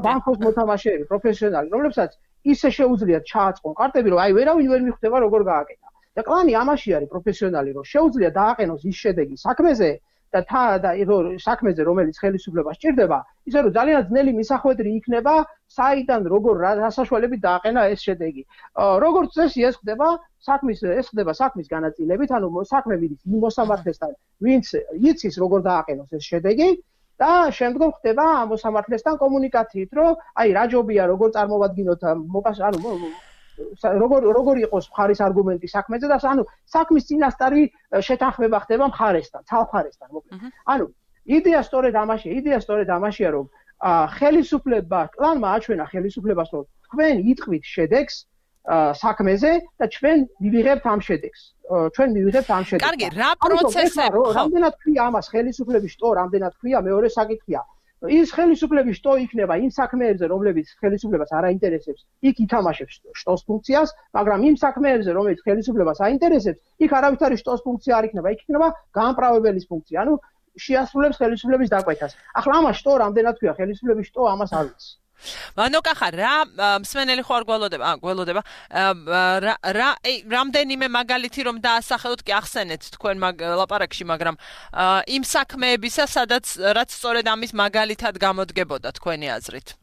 ბანკოს მოთამაშეები, პროფესიონალი, რომლებსაც ისე შეუძლიათ ჩააწყონ კარტები, რომ აი ვერავინ ვერ მიხვდება როგორ გააკეთა. და კლანი ამაში არის პროფესიონალი, რომ შეუძლია დააყენოს ის შედეგი საქმეზე და საქმეზე, რომელიც ხელისუფლებას სჭირდება, ისე რომ ძალიან ძნელი მისახვედრი იქნება, საიდან როგორ რა საშუალებით დააყენა ეს შედეგი. როგორც წესი ეს ხდება საქმის განაწილებით, ანუ საქმე მიდის იმ მოსამართლესთან, ვინც იცის როგორ დააყენოს ეს შედეგი და შემდგომ ხდება ამ მოსამართლესთან კომუნიკაციით, რომ აი რა ჯობია, როგორ წარმოვადგინოთ, როგორ იყოს მხარის არგუმენტი საქმეზე და ანუ საქმის წინასწარი შეთანხმება ხდება მხარესთან, ცალ-მხარესთან, მოკლედ. ანუ იდეა სწორედ ამაშია, რომ კლანმა აჩვენა ხელისუფლებას, რომ თქვენ იტყვით შედეგს საქმეზე და ჩვენ მივიღებთ ამ შედეგს. კარგი, რა პროცესები? რამდენად ქვია ამას ხელისუფლების შტო, რამდენად ქვია მეორე საკითხია. ის ხელისუფლების შტო იქნება იმ საქმეებზე, რომლებიც ხელისუფლებას არ აინტერესებს, იქ ითამაშებს შტოს ფუნქციას, მაგრამ იმ საქმეებზე, რომელიც ხელისუფლებას აინტერესებს, იქ არავითარი შტოს ფუნქცია არ იქნება, იქ იქნება გამправებელის ფუნქცია. ანუ შეასრულებს ხელისუფლების დაკვეთას. ახლა ამას შტო რამდენად ქვია ხელისუფლების შტო ამას არ ვიცი. მანოკახა რა მსმენელი ხო არ გველოდება რამდენიმე მაგალითი რომ დაასახელოთ კი ახსენეთ თქვენ ლაპარაკში მაგრამ იმ საქმეებისა სადაც რაც სწორედ ამის მაგალითად გამოდგებოდა თქვენი აზრით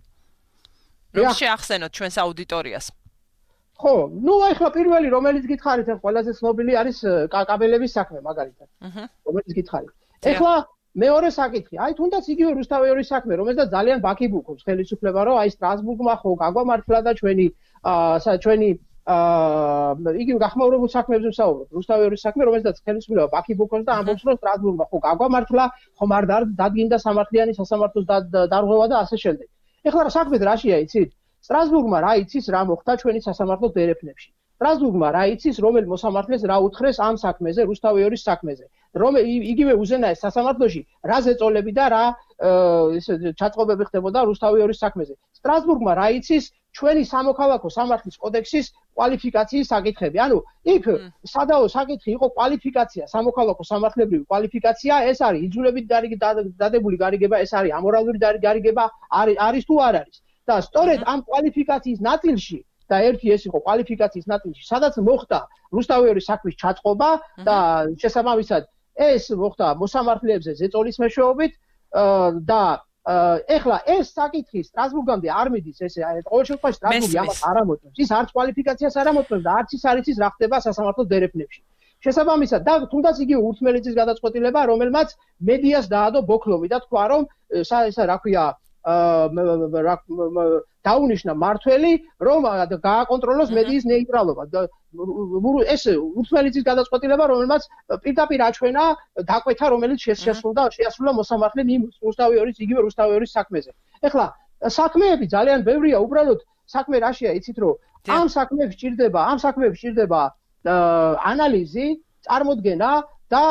რომ შეახსენოთ ჩვენს აუდიტორიას ხო ახლა პირველი რომელიც გითხარით ყველაზე ცნობილი არის კაბელების საქმე მაგალითად რომელიც გითხარით ახლა მეორე საკითხი, თუნდაც იგივე რუსთავეორის საქმე, რომელსაც ძალიან ბაქიბუქობს ხელისუფლება, რომ სტრასბურგმა ხო გაგვამართლა და ჩვენი იგივე გახმაურებულ საქმეებზე ვსაუბრობ. რუსთავეორის საქმე, რომელსაც ხელისუფლება ბაქიბუქობს და ამბობს, რომ სტრასბურგმა ხო გაგვამართლა, ხომ არ დადგინდა სამართლიანი სასამართლოს დარღვევა და ასე შემდეგ. ეხლა საქმე რაშია იცით? სტრასბურგმა რა იცის, რა მოხდა ჩვენი სასამართლოს დერეფნებში. სტრასბურგმა რა იცის, რომელ მოსამართლეს რა უთხრეს ამ საქმეზე, რუსთავეორის საქმეზე. იგივე უზენაეს სასამართლოში რა ზეწოლები და რა ჩაწყობები ხდებოდა რუსთავეორის საქმეზე. სტრასბურგმა რა იცის ჩვენი სამოქალაქო სამართლის კოდექსის კვალიფიკაციის საკითხები. ანუ იქ სადაო საკითხი იყო კვალიფიკაცია, სამოქალაქო სამართლებრივი კვალიფიკაცია, ეს არის იძულებით დადებული გარიგება, ეს არის ამორალური გარიგება, არის თუ არ არის. და სწორედ ამ კვალიფიკაციის ნაწილში და ერთი ეს იყო კვალიფიკაციის ნაწილში, სადაც მოხდა რუსთავეორის საქმის ჩაწყობა და შესაბამისად ეს მოხდა მოსამართლეებზე ზეწოლის მეშვეობით და ეხლა ეს საკითხი სტრასბურგამდე არ მიდის ესე ყოველ შემთხვევაში სტრასბურგი ამას არ ამოწმებს ის არც კვალიფიკაციას არ ამოწმებს და არც ის არ იცის რა ხდება სასამართლოს დერეფნებში შესაბამისად და თუნდაც იგივე ურთმელეთის გადაწყვეტილება რომელმაც მედიას დაადო ბოქლოვი და თქვა რომ ესა რა ქვია დაუნიშნა მართველი რომ გააკონტროლოს მედიის ნეიტრალობა ეს ურთმელეთის გადაწყვეტილება რომელმაც პირდაპირ აჩვენა დაკვეთა რომელიც შეასრულა მოსამართლემ იმ რუსთავეორის საქმეზე ეხლა საქმეები ძალიან ბევრია უბრალოდ საქმე რაშია იცით რომ ამ საქმეებს ჭირდება ანალიზი წარმოდგენა და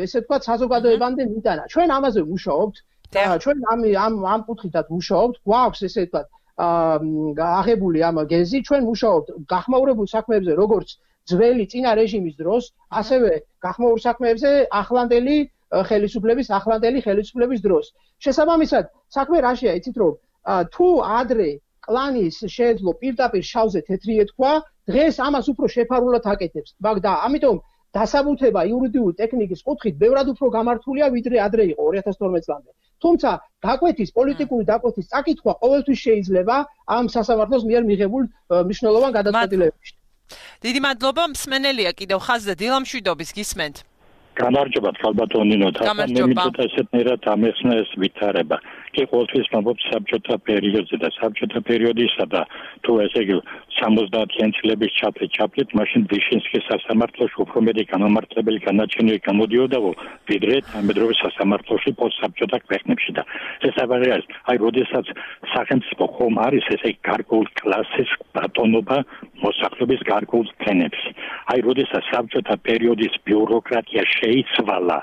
ესე ვთქვათ საზოგადოებამდე მიტანა ჩვენ ამაზე ვმუშაობთ ჩვენ ამ კუთხითაც ვმუშაობთ გვაქვს ესე ვთქვათ აღებული ამ გეზი ჩვენ ვმუშაობთ გახმაურებულ საქმეებზე როგორც ძველი წინა რეჟიმის დროს ასევე გახმაურებულ საქმეებზე ახლანდელი ხელისუფლების დროს შესაბამისად საქმე რაშია იცით რომ თუ ადრე კლანის შეეძლო პირდაპირ შავზე თეთრი ეთქვა დღეს ამას უფრო შეფარულად აკეთებს და ამიტომ დასაბუთება იურიდიული ტექნიკის კუთხით ბევრად უფრო გამართულია ვიდრე ადრე იყო 2012 წლამდე თუმცა პოლიტიკური დაკვეთის წაკითხვა ყოველთვის შეიძლება ამ სასამართლოს მიერ მიღებულ მნიშვნელოვან გადაწყვეტილებებში. დიდი მადლობა მსმენელია კიდევ ხაზზე დილამშვიდობის გისმენთ. გამარჯობა ხალბატონინო და მე მითხრა ესეთნაირად ამეხსნა ეს ვითარება. კი ყოველთვის მომბობ საბჭოთა პერიოდზე და საბჭოთა პერიოდისა და თუ ესე იგი 70-იან წლების ჩაფლით მაშინ ვიშინსკის სასამართლოში უფრო მეტი გამომართლებელი განაჩენები გამოდიოდა ვიდრე თანამედროვე სასამართლოში პოსტსაბჭოთა ქვეყნებში და ეს არის აი როდესაც სახელმწიფო ხომ არის ესე გარკვეულ კლასის ბატონობა მოსახლეობის გარკვეულ ფენებს აი როდესაც საბჭოთა პერიოდის ბიუროკრატია შეიცვალა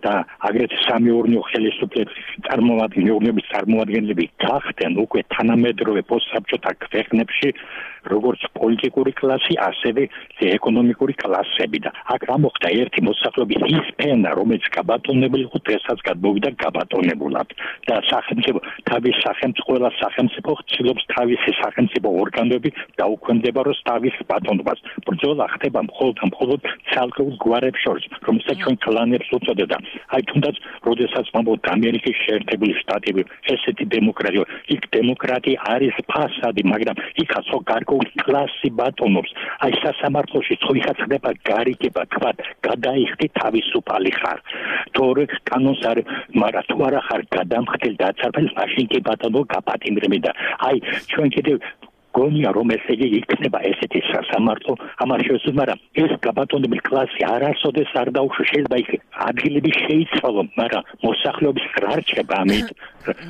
და აგრეთვე სამეურნეო ხელისუფლების წარმოადგენლები გახდნენ უკვე თანამედროვე პოსტსაბჭოთა ქვეყნებში როგორც პოლიტიკური კლასი, ასევე ეკონომიკური კლასები და აქ რა მოხდა ერთი მოსახლეობის ის ფენა, რომელიც გაბატონებული იყო, დღესაც გადმოვიდა გაბატონებულად და სახელმწიფო ყველა სახელმწიფო ცდილობს თავისი სახელმწიფო ორგანოები დაუქვემდებაროს თავის ბატონობას. ბრძოლა ხდება მხოლოდ ცალკეულ გვარებს შორის, რომელსაც ჩვენ კლანებს უწოდებდა. აი თუნდაც როდესაც მომბობთ ამერიკის შეერთებული შტატები, ესეთი დემოკრატია, იქ დემოკრატია არის ფასადი, მაგრამ იქაც გარკვეულ კლასი ბატონობს. აი სასამართლოში ხოიხაც ხდება გარიგება, თქვა, გადაიხდი თავისუფალი ხარ. თორე კანონს არ, მაგრამ თუ არა ხარ გადამხდელი და აცარბელი, მაშინ კი ბატონო გაპატიმრები და აი ჩვენ კიდევ გონია რომ ესე იგი იქნება ესეთი სასამართლო ამას შესაძლოა მაგრამ ეს გაბატონებული კლასი არასოდეს არ დაუშვი შეიძლება იქ ადგილები შეიცვალონ მაგრამ მოსახლეობის რა რჩება ამით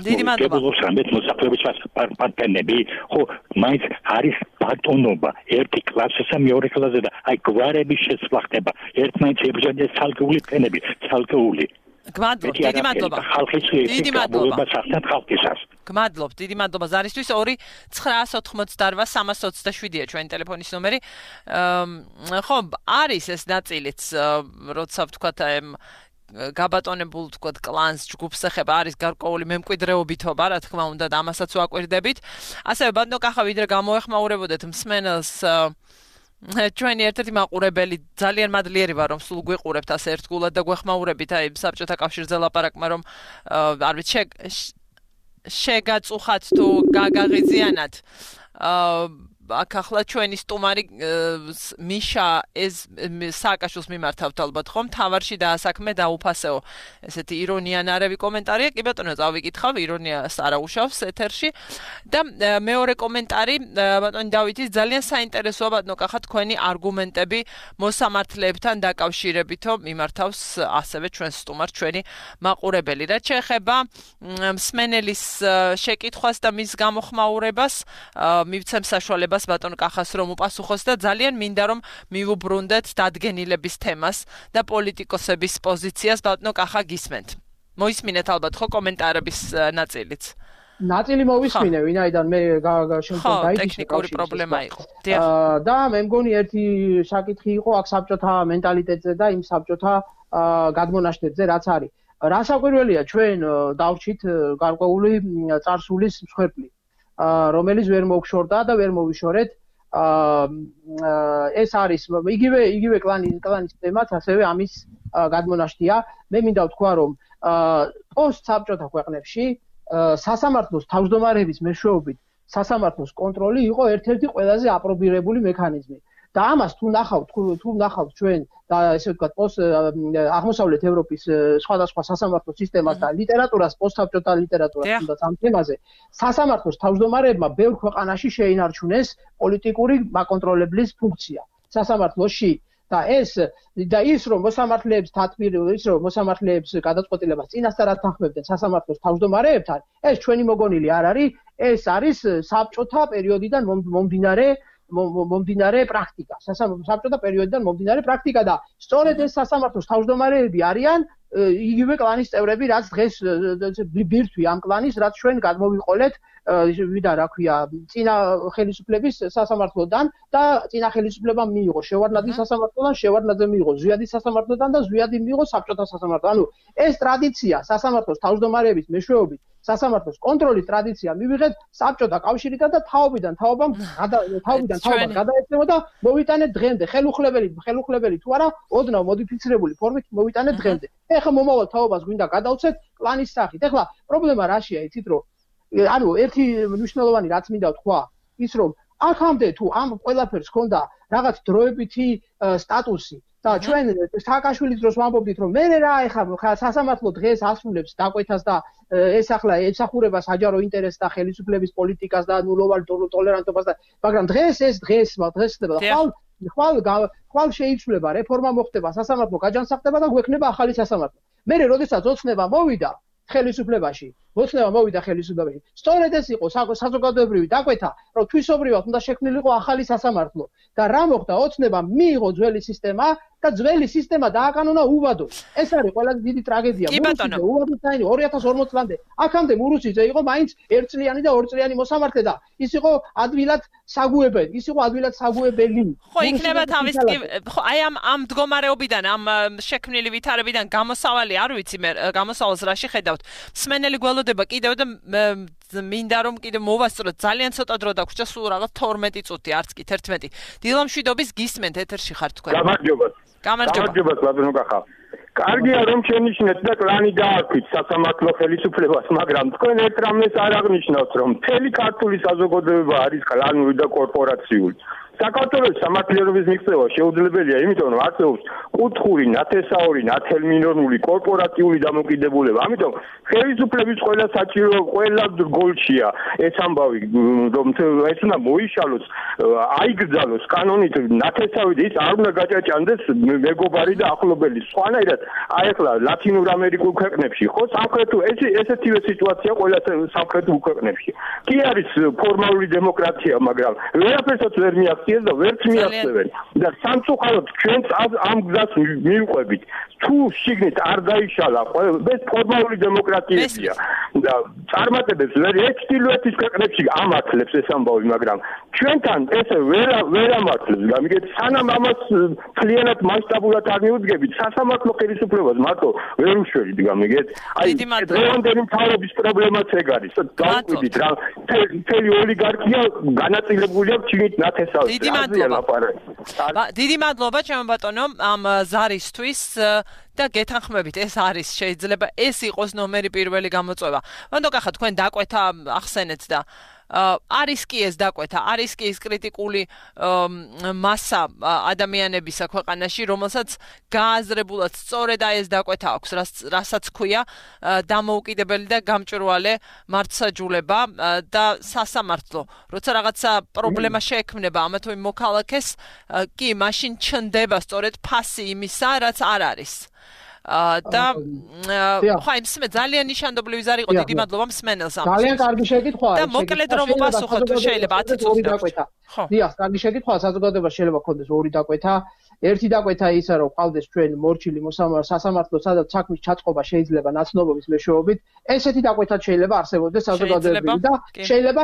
დიდი მადლობა მოსახლეობის პარტნიორები ხო მაინც არის ბატონობა ერთი კლასისა მეორე კლასზე და აი გვარების შეცვლა ხდება ერთმანეთს ებრძოდნენ ცალკეული ფენები ცალკეული გმადლობ, დიდი მადლობა. დიდი მადლობა სახთან ხალხისას. გმადლობ, დიდი მადლობა ზარისთვის 2-988-327-ია ჩვენი ტელეფონის ნომერი. ხო, არის ეს ნაწილიც, როცა ვთქვათ, გაბატონებულ თქვა კლანს ჯგუფს ეხება არის გარკვეული მემკვიდრეობითობა, რა თქმა უნდა, და ამასაც ვაკვირდებით. ასევე ბატონო კახა, ვიდრე გამოეხმაურებოდეთ მსმენელს ჩვენი ერთ-ერთი მაყურებელი ძალიან მადლიერი ვარ რომ სულ გვიყურებთ ასე ერთგულად და გვეხმაურებით აი საბჭოთა კავშირზე ლაპარაკმა რომ არ ვიცი შეგაწუხათ თუ გაგაღიზიანათ აქ ახლა ჩვენი სტუმარი მიშა ეს სააკაშვილს მიმართავთ ალბათ ხომ თავარში დაასაქმე დაუფასეო ესეთი ირონიანარევი კომენტარია კი ბატონო წავიკითხავ ირონიას არ აუშავს ეთერში და მეორე კომენტარი ბატონი დავითის ძალიან საინტერესოა ბატონო კახა თქვენი არგუმენტები მოსამართლეებთან დაკავშირებითო მიმართავს ასევე ჩვენს სტუმარს ჩვენი მაყურებელი რაც შეეხება მსმენელის შეკითხვას და მის გამოხმაურებას მივცემ საშუალებას ბატონ კახას რომ უპასუხოს და ძალიან მინდა რომ მივუბრუნდეთ დადგენილების თემას და პოლიტიკოსების პოზიციას ბატონო კახა გისმენთ. მოისმინეთ ალბათ ხო კომენტარების ნაწილიც. ნაწილი მოვისმინე, ვინაიდან მე შემდგომ დაიჭირე ტექნიკური პრობლემა იყო. და მე მგონი ერთი საკითხი იყო აქ საბჭოთა მენტალიტეტზე და იმ საბჭოთა გადმონაშთებზე რაც არის. რა საკვირველია ჩვენ დავრჩით გარკვეული წარსულის მსხვერპლი. რომელიც ვერ მოგშორდა და ვერ მოვიშორეთ ეს არის იგივე კლანის თემაც ასევე ამის გადმონაშთია მე მინდა ვთქვა რომ პოსტსაბჭოთა ქვეყნებში სასამართლოს თავმჯდომარეების მეშვეობით სასამართლოს კონტროლი იყო ერთ-ერთი ყველაზე აპრობირებული მექანიზმი და ამას თუ ნახავთ ჩვენ და ესე ვთქვათ აღმოსავლეთ ევროპის სხვადასხვა სასამართლო სისტემას და ლიტერატურას პოსტსაბჭოთა ლიტერატურას თუნდაც ამ თემაზე სასამართლოს თავმჯდომარეებმა ბევრ ქვეყანაში შეინარჩუნეს პოლიტიკური მაკონტროლებლის ფუნქცია სასამართლოში და ის რომ მოსამართლეებს ის რომ მოსამართლეებს გადაწყვეტილებას წინასწარ ათანხმებდნენ სასამართლოს თავმჯდომარეებთან ეს ჩვენი მოგონილი არ არის ეს არის საბჭოთა პერიოდიდან მომდინარე პრაქტიკა საბჭოთა პერიოდიდან მომდინარე პრაქტიკა და სწორედ ეს სასამართლოს თავმჯდომარეები არიან იგივე კლანის წევრები რაც დღეს ბირთვი ამ კლანის რაც ჩვენ გადმოვიყოლეთ ვიდა რა ქვია წინა ხელისუფლების სასამართლოდან და წინა ხელისუფლებამ მიიღო შევარდნაძის სასამართლოდან შევარდნაძე მიიღო ზვიადის სასამართლოდან და ზვიადი მიიღო საბჭოთა სასამართლოდან ანუ ეს ტრადიცია სასამართლოს თავმჯდომარეების მეშვეობით სასამართლოს კონტროლის ტრადიცია მივიღეთ საბჭოთა კავშირიდან და თაობიდან თაობამ გადაეცემა და მოვიტანეთ დღემდე ხელუხლებელი თუ არა ოდნავ მოდიფიცირებული ფორმით მოვიტანეთ დღემდე ეხლა მომავალ თაობას გვინდა გადავცეთ კლანის სახით ეხლა პრობლემა რაშია იცით რომ ანუ ერთი მნიშვნელოვანი რაც მინდა ვთქვა ის რომ აქამდე თუ ამ ყველაფერს ჰქონდა რაღაც დროებითი სტატუსი და ჩვენ სააკაშვილის დროს ვამბობდით რომ მე რა ეხლა სასამართლო დღეს ასრულებს დაკვეთას და ეს ახლა ემსახურება საჯარო ინტერესს და ხელისუფლების პოლიტიკას და ნულოვან ტოლერანტობას და მაგრამ დღეს ხდება ხვალ შეიცვლება რეფორმა მოხდება სასამართლო გაჯანსაღდება და გვექნება ახალი სასამართლო მე როდესაც ოცნება მოვიდა ხელისუფლებაში სწორედ ეს იყო საზოგადოებრივი დაკვეთა რომ თვისობრივად უნდა შექმნილიყო ახალი სასამართლო და რა მოხდა ოცნება მიიღო ძველი სისტემა და ძველი სისტემა დააკანონა უბადოდ ეს არის ყველაზე დიდი ტრაგედია მურუსიძე უბადოდ დაინი 2040 წლამდე აქამდე მურუსიძე იყო მაინც ერთწლიანი და ორწლიანი მოსამართლე და ის იყო ადვილად საგუებელი ხო იქნება თავის ხო აი ამ მდგომარეობიდან ამ შექმნილი ვითარებიდან გამოსავალი არ ვიცი მე გამოსავალს რაში ხედავთ მსმენელი გველოდება კიდევ და მინდა რომ კიდევ მოვასწროთ ძალიან ცოტა დრო დაგვრჩა სულ რაღაც 12 წუთი არც კი 11 დილამშვიდობის გისმენთ ეთერში ხარ თქვენ გამარჯობა ბატონო კახა კარგია რომ შენიშნეთ და კლანი დააქვით სასამართლო ხელისუფლებას მაგრამ თქვენ ერთ რამეს არ აღნიშნავთ რომ მთელი ქართული საზოგადოება არის კლანური და კორპორაციული საქართველოს სამართლიერობის მიღწევა შეუძლებელია იმიტომ რომ არსებობს კუთხური ნათესაური ნათელმინორმული კორპორატიული დამოკიდებულება ამიტომ ხელისუფლების ყველა საჭირო ყველა გოლშია ეს ამბავი რომ ეს უნდა მოიშალოს აიგრძალოს კანონით ნათესავი ის არ უნდა გაჭაჭანდეს მეგობარი და ახლობელი სხვანაირად აი ახლა ლათინურ ამერიკულ ქვეყნებში ხო სამხრეთულ ესეთივე სიტუაცია ყველა სამხრეთულ ქვეყნებში კი არის ფორმალური დემოკრატია მაგრამ ვერაფერსაც ვერ მიაღწია და ვერც მიაღწევენ და სამწუხაროდ ჩვენც ამ გზას მივყვებით თუ შიგნით არ დაიშალა ეს ფორმალური დემოკრატიებია და წარმატებებს ეს ჩრდილოეთის ქვეყნებში ამართლებს ეს ამბავი, მაგრამ ჩვენთან ესე ვერ ამართლებს. გამიგეთ, სანამ ამას მთლიანად მასშტაბურად არ მიუძგებით, სასამართლო ხელისუფლებას მარტო ვერ უშველით, გამიგეთ? აი, დღევანდელი მთავრობის პრობლემაც ეგ არის. დავყვიდით რა, მთელი ოლიგარქია განაწილებულია ჩინით ნათესავზე. დიდი მადლობა, ჩემო ბატონო, ამ ზარისთვის და გეთანხმებით, ეს არის შეიძლება ეს იყოს ნომერი პირველი გამოწვევა. მანდ კახა თქვენ დაკვეთა ახსენეთ და არის კი ეს დაკვეთა, არის კი ეს კრიტიკული მასა ადამიანებისა ქვეყანაში, რომელსაც გააზრებულად სწორედ ეს დაკვეთა აქვს, რასაც ქვია დამოუკიდებელი და გამჭვირვალე მართლმსაჯულება და სასამართლო. როცა რაღაცა პრობლემა შეექმნება ამა თუ იმ მოქალაქეს, კი, მაშინ ჩნდება სწორედ ფასი იმისა, რაც არ არის. და ხო იმსმე ძალიან ნიშანდობლივი ზარი იყო დიდი მადლობა მსმენელს ამის ძალიან კარგი შეკითხვაა და მოკლედ რომ უპასუხოთ თუ შეიძლება 10 წუთი დაკვეთა დიახ კარგი შეკითხვაა საზოგადოებას შეიძლება ქონდეს ორი დაკვეთა ერთი დაკვეთა ისა რომ ყავდეს ჩვენ მორჩილი სასამართლო სადაც საქმის ჩაწყობა შეიძლება ნაცნობობის მეშვეობით ესეთი დაკვეთაც შეიძლება არსებობდეს საზოგადოებრივი და შეიძლება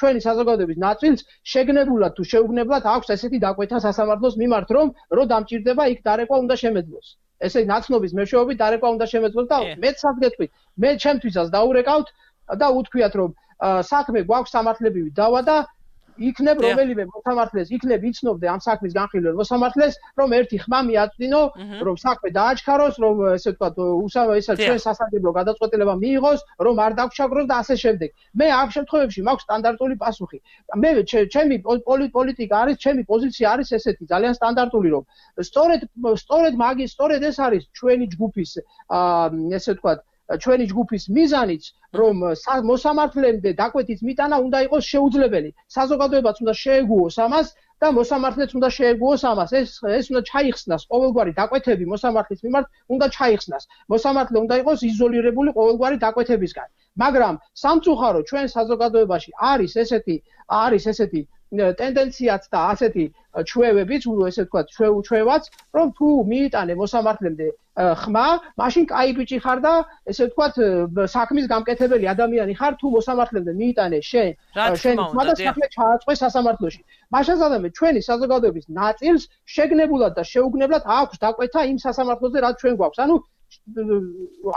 ჩვენი საზოგადოების ნაწილს შეგნებულად თუ შეუგნებლად აქვს ესეთი დაკვეთა სასამართლოს მიმართ რომ დამჭირდება იქ დარეკვა უნდა შემეძლოს ესე ნაცნობის მეშვეობით დარეკვა უნდა შემეძლოს და მეც სადგეთქვით მე ჩემთვისაც დაურეკავთ და უთქვიათ რომ საქმე გვაქვს სამართლებრივი დავა და იქნებ რომელიმე მოსამართლეს იქნებ იცნობდე ამ საქმის განხილველ მოსამართლეს რომ ერთი ხმა მიაწვდინო რომ საქმე დააჩქაროს რომ ესე ვთქვათ ესა ჩვენ სასარგებლო გადაწყვეტილება მიიღოს რომ არ დაგჩაგროს და ასე შემდეგ მე ამ შემთხვევებში მაქვს სტანდარტული პასუხი მე ჩემი პოლიტიკა არის ჩემი პოზიცია არის ესეთი ძალიან სტანდარტული რომ სწორედ ეს არის ჩვენი ჯგუფის ესე ვთქვათ ჩვენი ჯგუფის მიზანიც რომ მოსამართლემდე დაკვეთის მიტანა უნდა იყოს შეუძლებელი საზოგადოებაც უნდა შეეგუოს ამას და მოსამართლეც უნდა შეეგუოს ამას ეს უნდა ჩაიხსნას ყოველგვარი დაკვეთები მოსამართლის მიმართ უნდა ჩაიხსნას მოსამართლე უნდა იყოს იზოლირებული ყოველგვარი დაკვეთებისგან მაგრამ სამწუხარო ჩვენ საზოგადოებაში არის ესეთი ტენდენციაც და ასეთი ჩვევებიც, ესე ვთქვათ, ჩვევაც, რომ თუ მიიტანე მოსამართლემდე ხმა, მაშინ კაი ბიჭი ხარ და ესე ვთქვათ, საქმის გამკეთებელი ადამიანი ხარ, თუ მოსამართლემდე მიიტანე შენ ხმა და საქმე ჩააწყვე სასამართლოში. მაშასადამე ჩვენი საზოგადოების ნაწილს შეგნებულად და შეუგნებლად აქვს დაკვეთა იმ სასამართლოზე, რაც ჩვენ გვაქვს. ანუ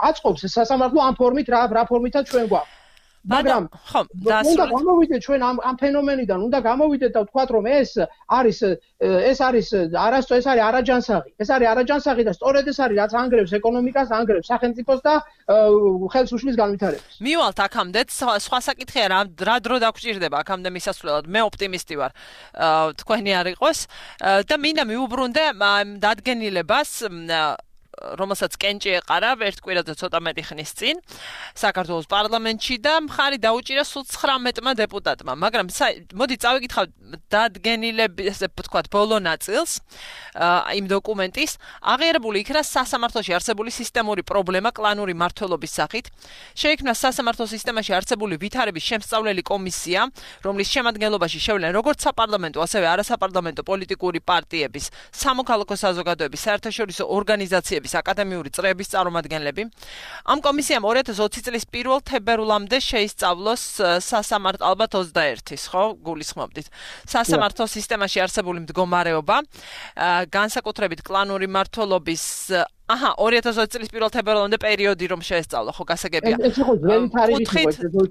აწყობს სასამართლო ამ ფორმით რა ფორმითაც ჩვენ გვაქვს. მაგრამ უნდა გამოვიდეთ ჩვენ ამ ფენომენიდან, უნდა გამოვიდეთ და ვთქვათ, რომ ეს არის არაჯანსაღი. ეს არის არაჯანსაღი და სწორედ ეს არის რაც ანგრევს ეკონომიკას, ანგრევს სახელმწიფოს და ხელს უშლის განვითარებას. მივალთ აქამდეც, სხვა საკითხია რა დრო დაგჭირდება აქამდე მისასვლელად. მე ოპტიმისტი ვარ. თქვენი არ იყოს და მინდა მიუბრუნდე დადგენილებას რომელსაც კენჭი ეყარა ერთ კვირაზე ცოტა მეტი ხნის წინ საქართველოს პარლამენტში და მხარი დაუჭირა სულ 19-მა დეპუტატმა, მაგრამ მოდი წავიკითხავ დადგენილების, ესე ვთქვათ, ბოლო ნაწილს იმ დოკუმენტის, აღიარებული იქნა სასამართლოში არსებული სისტემური პრობლემა კლანური მმართველობის სახით. შეიქმნა სასამართლო სისტემაში არსებული ვითარების შემსწავლელი კომისია, რომლის შემადგენლობაში შევლენ როგორც საპარლამენტო, ასევე არასაპარლამენტო პოლიტიკური პარტიების, სამოქალაქო საზოგადოების, საერთაშორისო ორგანიზაციების აკადემიური წრეების წარმომადგენლები. ამ კომისიამ 2020 წლის 1 თებერვლამდე შეისწავლოს სასამართლო ალბათ 21-ის, ხო, გულისხმობდით. სასამართლო სისტემაში არსებული მდგომარეობა, განსაკუთრებით კლანური მმართველობის 2020 წლის 1 თებერვლამდე პერიოდი რომ შეესწავლა, ხო, გასაგებია.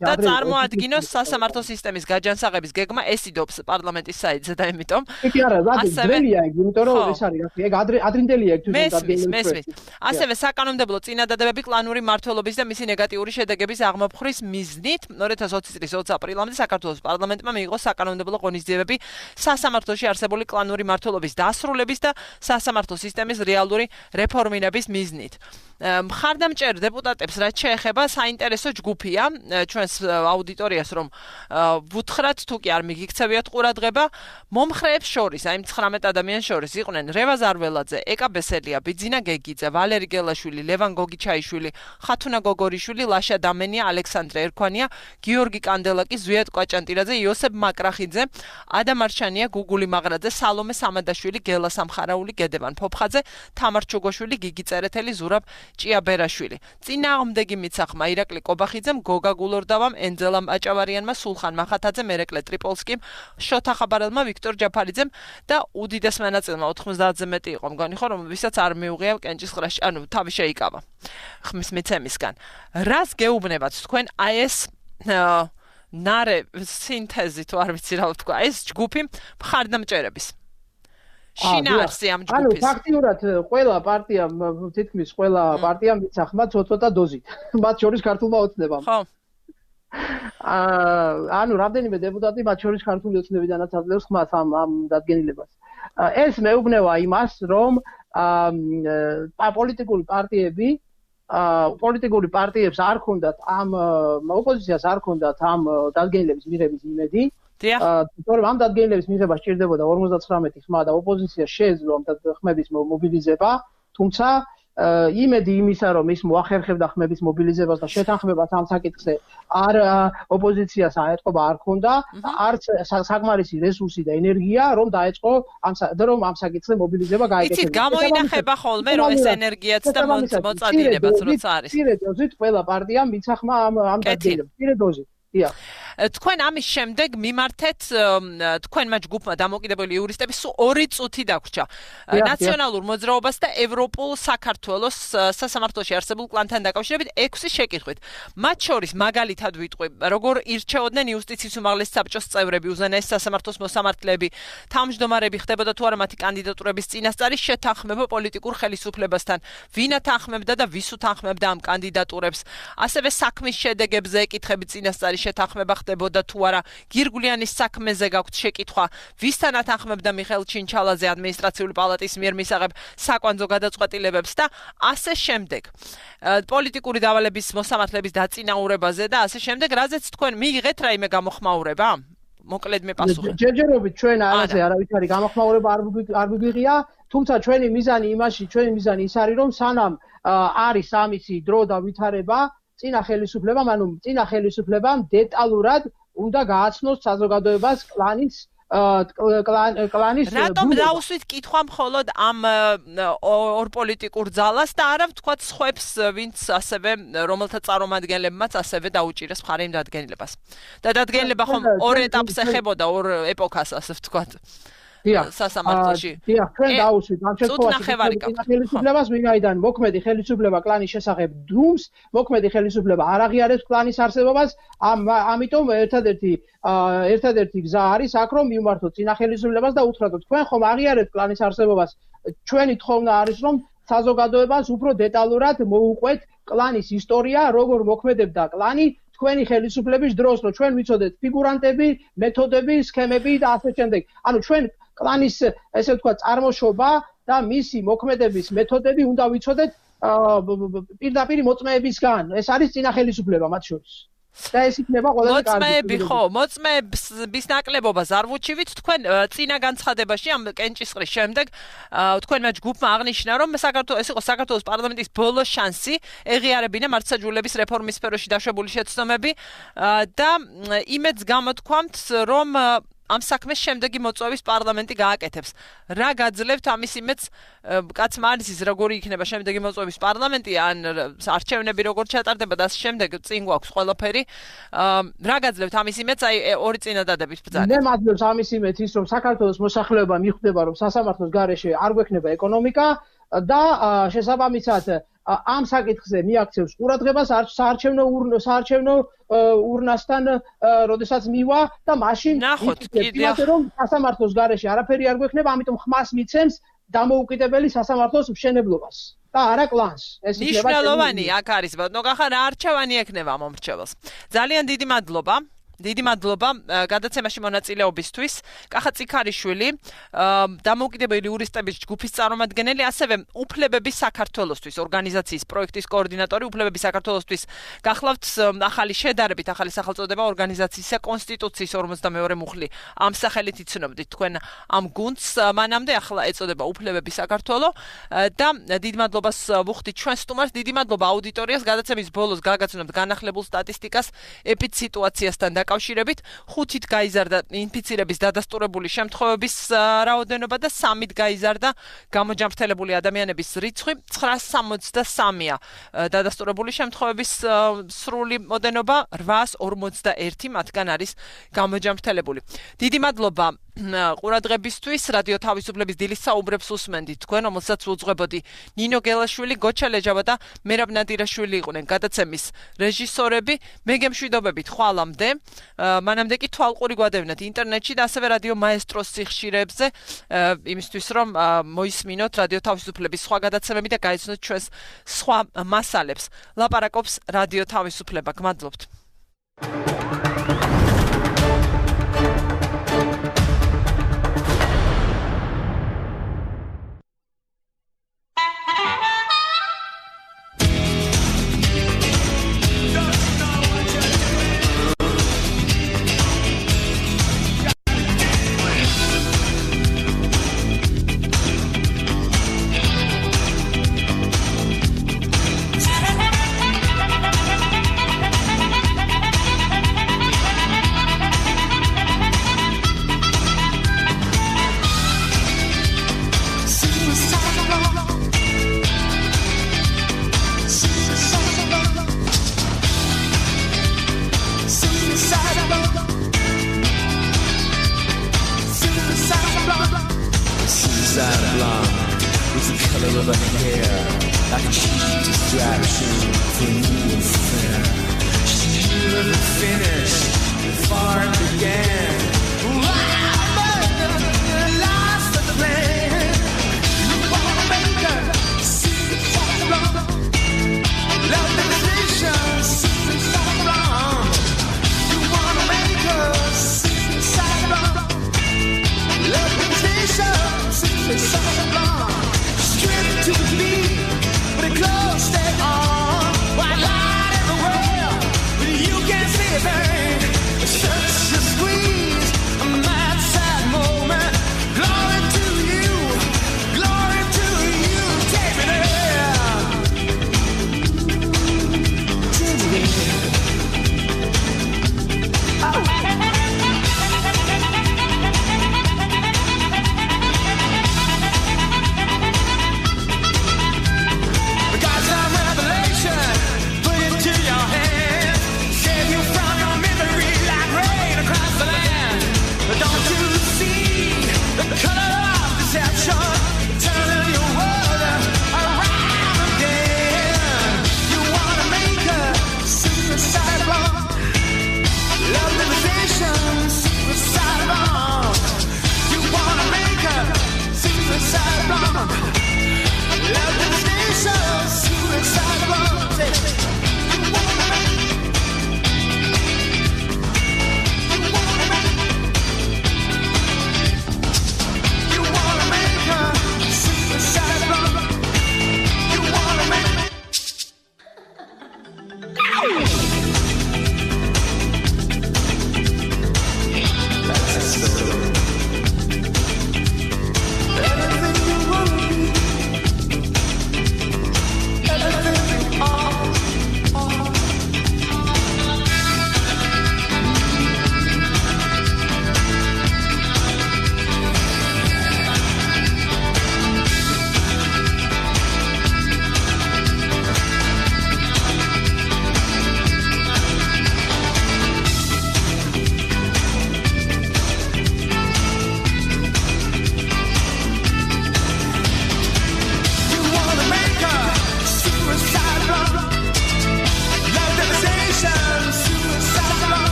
და წარმოადგინოს სასამართლო სისტემის გაჯანსაღების გეგმა, ეს იდობს პარლამენტის საიტზე და იმიტომ. კი არა, ძველია ეგ, იმიტომ რომ ეს არის, ეგ ადრინდელია ეგ თვითონ. ასევე საკანონმდებლო წინადადებები კლანური მმართველობის და მისი ნეგატიური შედეგების აღმოფხრის მიზნით 2020 წლის 20 აპრილამდე საქართველოს პარლამენტმა მიიღო საკანონმდებლო ღონისძიებები სასამართლოში არსებული კლანური მმართველობის დასრულების და სასამართლო სისტემის რეალური რეფორმირების მიზნით. მხარდამჭერ დეპუტატებს რაც შეეხება საინტერესო ჯგუფია ჩვენს აუდიტორიას რომ ვუთხრათ თუ კი არ მიგიქცევიათ ყურადღება მომხრეებს შორის აი 19 ადამიანს შორის იყვნენ რევაზ არველაძე, ეკა ბესელია, ბიძინა გეგიძე, ვალერი გელაშვილი, ლევან გოგიჩაიშვილი, ხათუნა გოგორიშვილი, ლაშა დამენია, ალექსანდრე ერქვანია, გიორგი კანდელაკი, ზვიად კვაჭანტირაძე, იოსებ მაკრახიძე, ადამ არჩანია, გუგული მაღრაძე, სალომე სამადაშვილი, გელა სამხარაული, გედევან ფოფხაძე, თამარ ჩუგოშვილი, გიგი წერეთელი, ზურაბ ჭია ბერაშვილი. წინააღმდეგი მიცახმა ირაკლი კობახიძემ, გოგა გულორდავამ, ენძელამ აჭავარიანმა, სულხან მახათაძემ, მერეკლე ტრიპოლსკიმ, შოთა ხაბარელმა, ვიქტორ ჯაფარიძემ და უდიდეს მონაწილემა 90-ზე მეტი იყო მგონი ხო, რომელსაც არ მიუღია კენჭისყრაში, ანუ თავი შეიკავა ხმის მიცემისგან. რას გეუბნებათ თქვენ აი ეს ნარე სინთეზი თუ არ ვიცი რა ვთქვა, ეს ჯგუფი მხარდამჭერების შინაარსი ამ ჯგუფის. ანუ ფაქტიურად ყველა პარტიამ, თითქმის ყველა პარტიამ მიცახმა ცოტა დოზით. მათ შორის ქართულმა ოცნებამ. ხო. ანუ რამდენიმე დეპუტატი მათ შორის ქართული ოცნებიდანაც აძლევს ხმას ამ დადგენილებას. ეს მეუბნება იმას, რომ პოლიტიკური პარტიებს არ ქონდათ ოპოზიციას არ ქონდათ ამ დადგენილების მიღების იმედი. თორემ ამ დადგენილების მიღება სჭირდებოდა 59 ხმა და ოპოზიცია შეეძლო ამ ხმების მობილიზება, თუმცა იმედი იმისა, რომ ის მოახერხებდა ხმების მობილიზებას და შეთანხმებას ამ საკითხზე არ ოპოზიციას აეტყობა არ ქონდა, არც საკმარისი რესურსი და ენერგია, რომ დაეწყო ამ საკითხზე მობილიზება გაეკეთებინა. იცით, გამოინახება ხოლმე, რომ ეს ენერგიაც და მოწადინებაც როცა არის. მცირე დოზით ყველა პარტიამ მიცახმა ამ დადგენილებას. მცირე დოზით. დიახ. თქვენ ამის შემდეგ მიმართეთ თქვენმა ჯგუფმა დამოკიდებული იურისტები სულ 2 წუთი დაგვრჩა ნაციონალურ მოძრაობას და ევროპულ საქართველოს სასამართლოში არსებულ კლანთან დაკავშირებით 6 შეკითხვით. მათ შორის მაგალითად ვიტყვი, როგორ ირჩეოდნენ იუსტიციის უმაღლესი საბჭოს წევრები, უზენაეს სასამართლოს მოსამართლეები, თავმჯდომარები ხდებოდა თუ არა მათი კანდიდატურების წინასწარი შეთანხმება პოლიტიკურ ხელისუფლებასთან, ვინ ათანხმებდა და ვის უთანხმებდა ამ კანდიდატურებს. ასევე საქმის შედეგებზე ეკითხები წინასწარი შეთანხმება ხდებოდა თუ არა, გირგვლიანის საქმეზე გაქვთ შეკითხვა, ვისთან ათანხმებდა მიხეილ ჩინჩალაძე ადმინისტრაციული პალატის მიერ მისაღებ საკვანძო გადაწყვეტილებებს და ასე შემდეგ. პოლიტიკური დავალების მოსამართლეების დაწინაურებაზე და ასე შემდეგ, რაზეც თქვენ მიიღეთ რაიმე გამოხმაურება? მოკლედ მე პასუხი. ჯერჯერობით ჩვენ არაზე არავითარი გამოხმაურება არ მიგვიღია, თუმცა ჩვენი მიზანი ის არის, რომ სანამ არის ამისი დრო და ვითარება, წინა ხელისუფლებამ დეტალურად უნდა გააცნოს საზოგადოებას კლანის რატომ დაუსვით კითხვა მხოლოდ ამ ორ პოლიტიკურ ძალას და არა ვთქვათ სხვებს, ვინც ასევე რომელთა წარმომადგენლებმაც ასევე დაუჭირეს მხარი იმ დადგენილებას. და დადგენილება ხომ ორ ეტაპს ეხებოდა, ორ ეპოქას ასე ვთქვათ. სასამართლოში. დიახ, ჩვენ დაუსვით ამ შემთხვევაში ხელისუფლებას, ვინაიდან მოქმედი ხელისუფლება კლანის შესახებ დუმს, მოქმედი ხელისუფლება არ აღიარებს კლანის არსებობას, ამიტომ ერთადერთი გზა არის აქ, რომ მივმართოთ წინა ხელისუფლებას და უთხრათ, თქვენ ხომ აღიარებთ კლანის არსებობას? ჩვენი თხოვნა არის, რომ საზოგადოებას უფრო დეტალურად მოუყვეთ კლანის ისტორია, როგორ მოქმედებდა კლანი თქვენი ხელისუფლების დროს, რომ ჩვენ ვიცოდეთ ფიგურანტები, მეთოდები, სქემები და ასე შემდეგ. ანუ ჩვენ კლანის ესე ვთქვათ წარმოშობა და მისი მოქმედების მეთოდები უნდა ვიცოდეთ პირდაპირ მოწმეებისგან. ეს არის წინა ხელისუფლება მათ შორის. და ეს იქნება ყველაზე კარგი. მოწმეები ხო, მოწმეების ნაკლებობას არ ვუჩივით, თქვენ წინა განცხადებაში ამ კენჭისყრის შემდეგ თქვენმა ჯგუფმა აღნიშნა, რომ ეს იყო საქართველოს პარლამენტის ბოლო შანსი ეღიარებინა მართლმსაჯულების რეფორმის სფეროში დაშვებული შეცდომები და იმედს გამოთქვამთ, რომ ამ საქმეს შემდეგი მოწვევის პარლამენტი გააკეთებს. რა გაძლევთ ამის იმედს? კაცმა არის ის, როგორი იქნება შემდეგი მოწვევის პარლამენტი, ან არჩევნები როგორ ჩატარდება და შემდეგ წინ გვაქვს ყველაფერი. რა გაძლევთ ამის იმედს? აი ორი წინადადებით ბრძანეთ. მე მაძლევს ამის იმედს ის, რომ საქართველოს მოსახლეობა მიხვდება, რომ სასამართლოს გარეშე არ გვექნება ეკონომიკა და შესაბამისად ამ საკითხზე მიაქცევს ყურადღებას საარჩევნო ურნასთან, როდესაც მივა და მაშინ იმას რომ სასამართლოს გარეშე არაფერი არ გვექნება, ამიტომ ხმას მიცემს დამოუკიდებელი სასამართლოს მშენებლობას და არა კლანს. ეს იქნება მნიშვნელოვანი აქ არის, ბატონო კახა, რა არჩევანი ექნება მომრჩეველს. ძალიან დიდი მადლობა. დიდი მადლობა გადაცემაში მონაწილეობისთვის. კახა წიქარიშვილი, დამოუკიდებელი იურისტების ჯგუფის წარმომადგენელი, ასევე უფლებების საქართველოსთვის ორგანიზაციის პროექტის კოორდინატორი, უფლებების საქართველოსთვის გახლავთ ახალი შედარებით, ახალი სახელწოდება ორგანიზაციისა კონსტიტუციის 42 მუხლი. ამ სახელით იცნობდით თქვენ ამ გუნდს, მანამდე ახლა ეწოდება უფლებების საქართველო და დიდ მადლობას ვუხდით ჩვენ სტუმარს, დიდი მადლობა აუდიტორიას, გადაცემის ბოლოს გაგაცნობთ განახლებულ სტატისტიკას ეპიდსიტუაციასთან დაკავშირებით 5-ით გაიზარდა ინფიცირების დადასტურებული შემთხვევების რაოდენობა და 3-ით გაიზარდა გამოჯანმრთელებული ადამიანების რიცხვი 963-ია. დადასტურებული შემთხვევების სრული მოდენობა 841 მათგან არის გამოჯანმრთელებული. დიდი მადლობა ყურადღებისთვის. რადიო თავისუფლების დილის საუბრებს უსმენდით თქვენ, რომელსაც უძღვებოდი ნინო გელაშვილი, გოჩა ლეჯავა და მერაბ ნადირაშვილი იყვნენ გადაცემის რეჟისორები. მე გემშვიდობებით ხვალამდე. მანამდე კი თვალყური გვადევნეთ ინტერნეტში და ასევე რადიო მაესტროს სიხშირეებზე, იმისთვის რომ მოისმინოთ რადიო თავისუფლების სხვა გადაცემები და გაიცნოთ ჩვენს სხვა მასალებს. ლაპარაკობს რადიო თავისუფლება. გმადლობთ. Close their eyes, but you can't see a thing. Search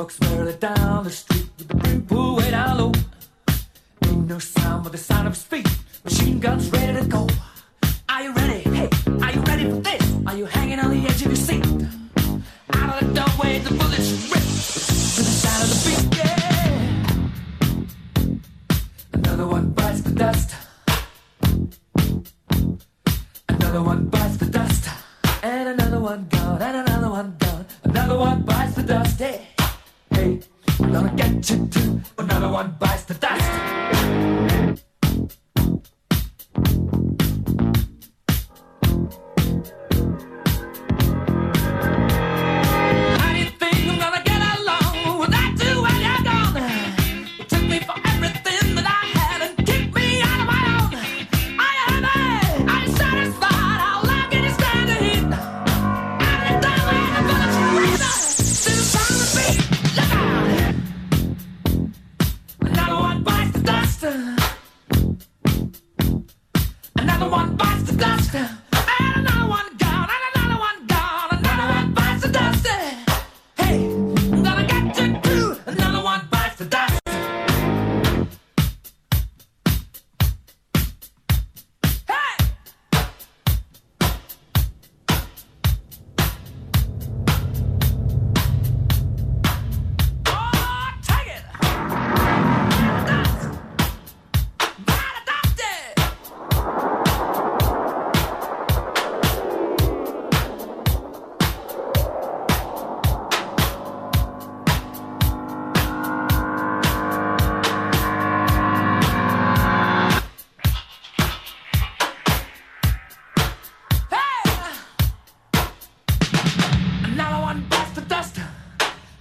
Folks barely down the street with the brim pulled way down low. Ain't no sound but the sound of his feet. Machine guns ready to go. Are you ready? Hey, are you ready for this? Are you hanging on the edge of your seat? Out of the doorway, the bullets rip to the sound of the beat. Yeah. Another one bites the dust. Another one bites the dust. And another one gone. And another one gone. Another one bites the dust. Hey, hey, I'm gonna get you too. Another one bites the dust.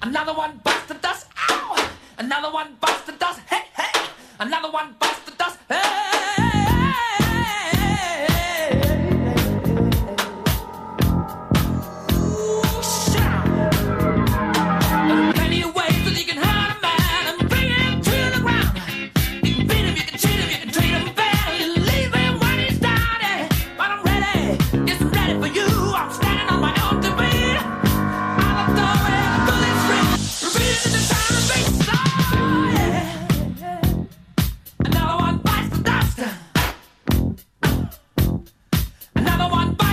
Another one bites the dust. Ow! Another one bites the dust. Hey, hey! Another one bites the dust. Hey! Another one bites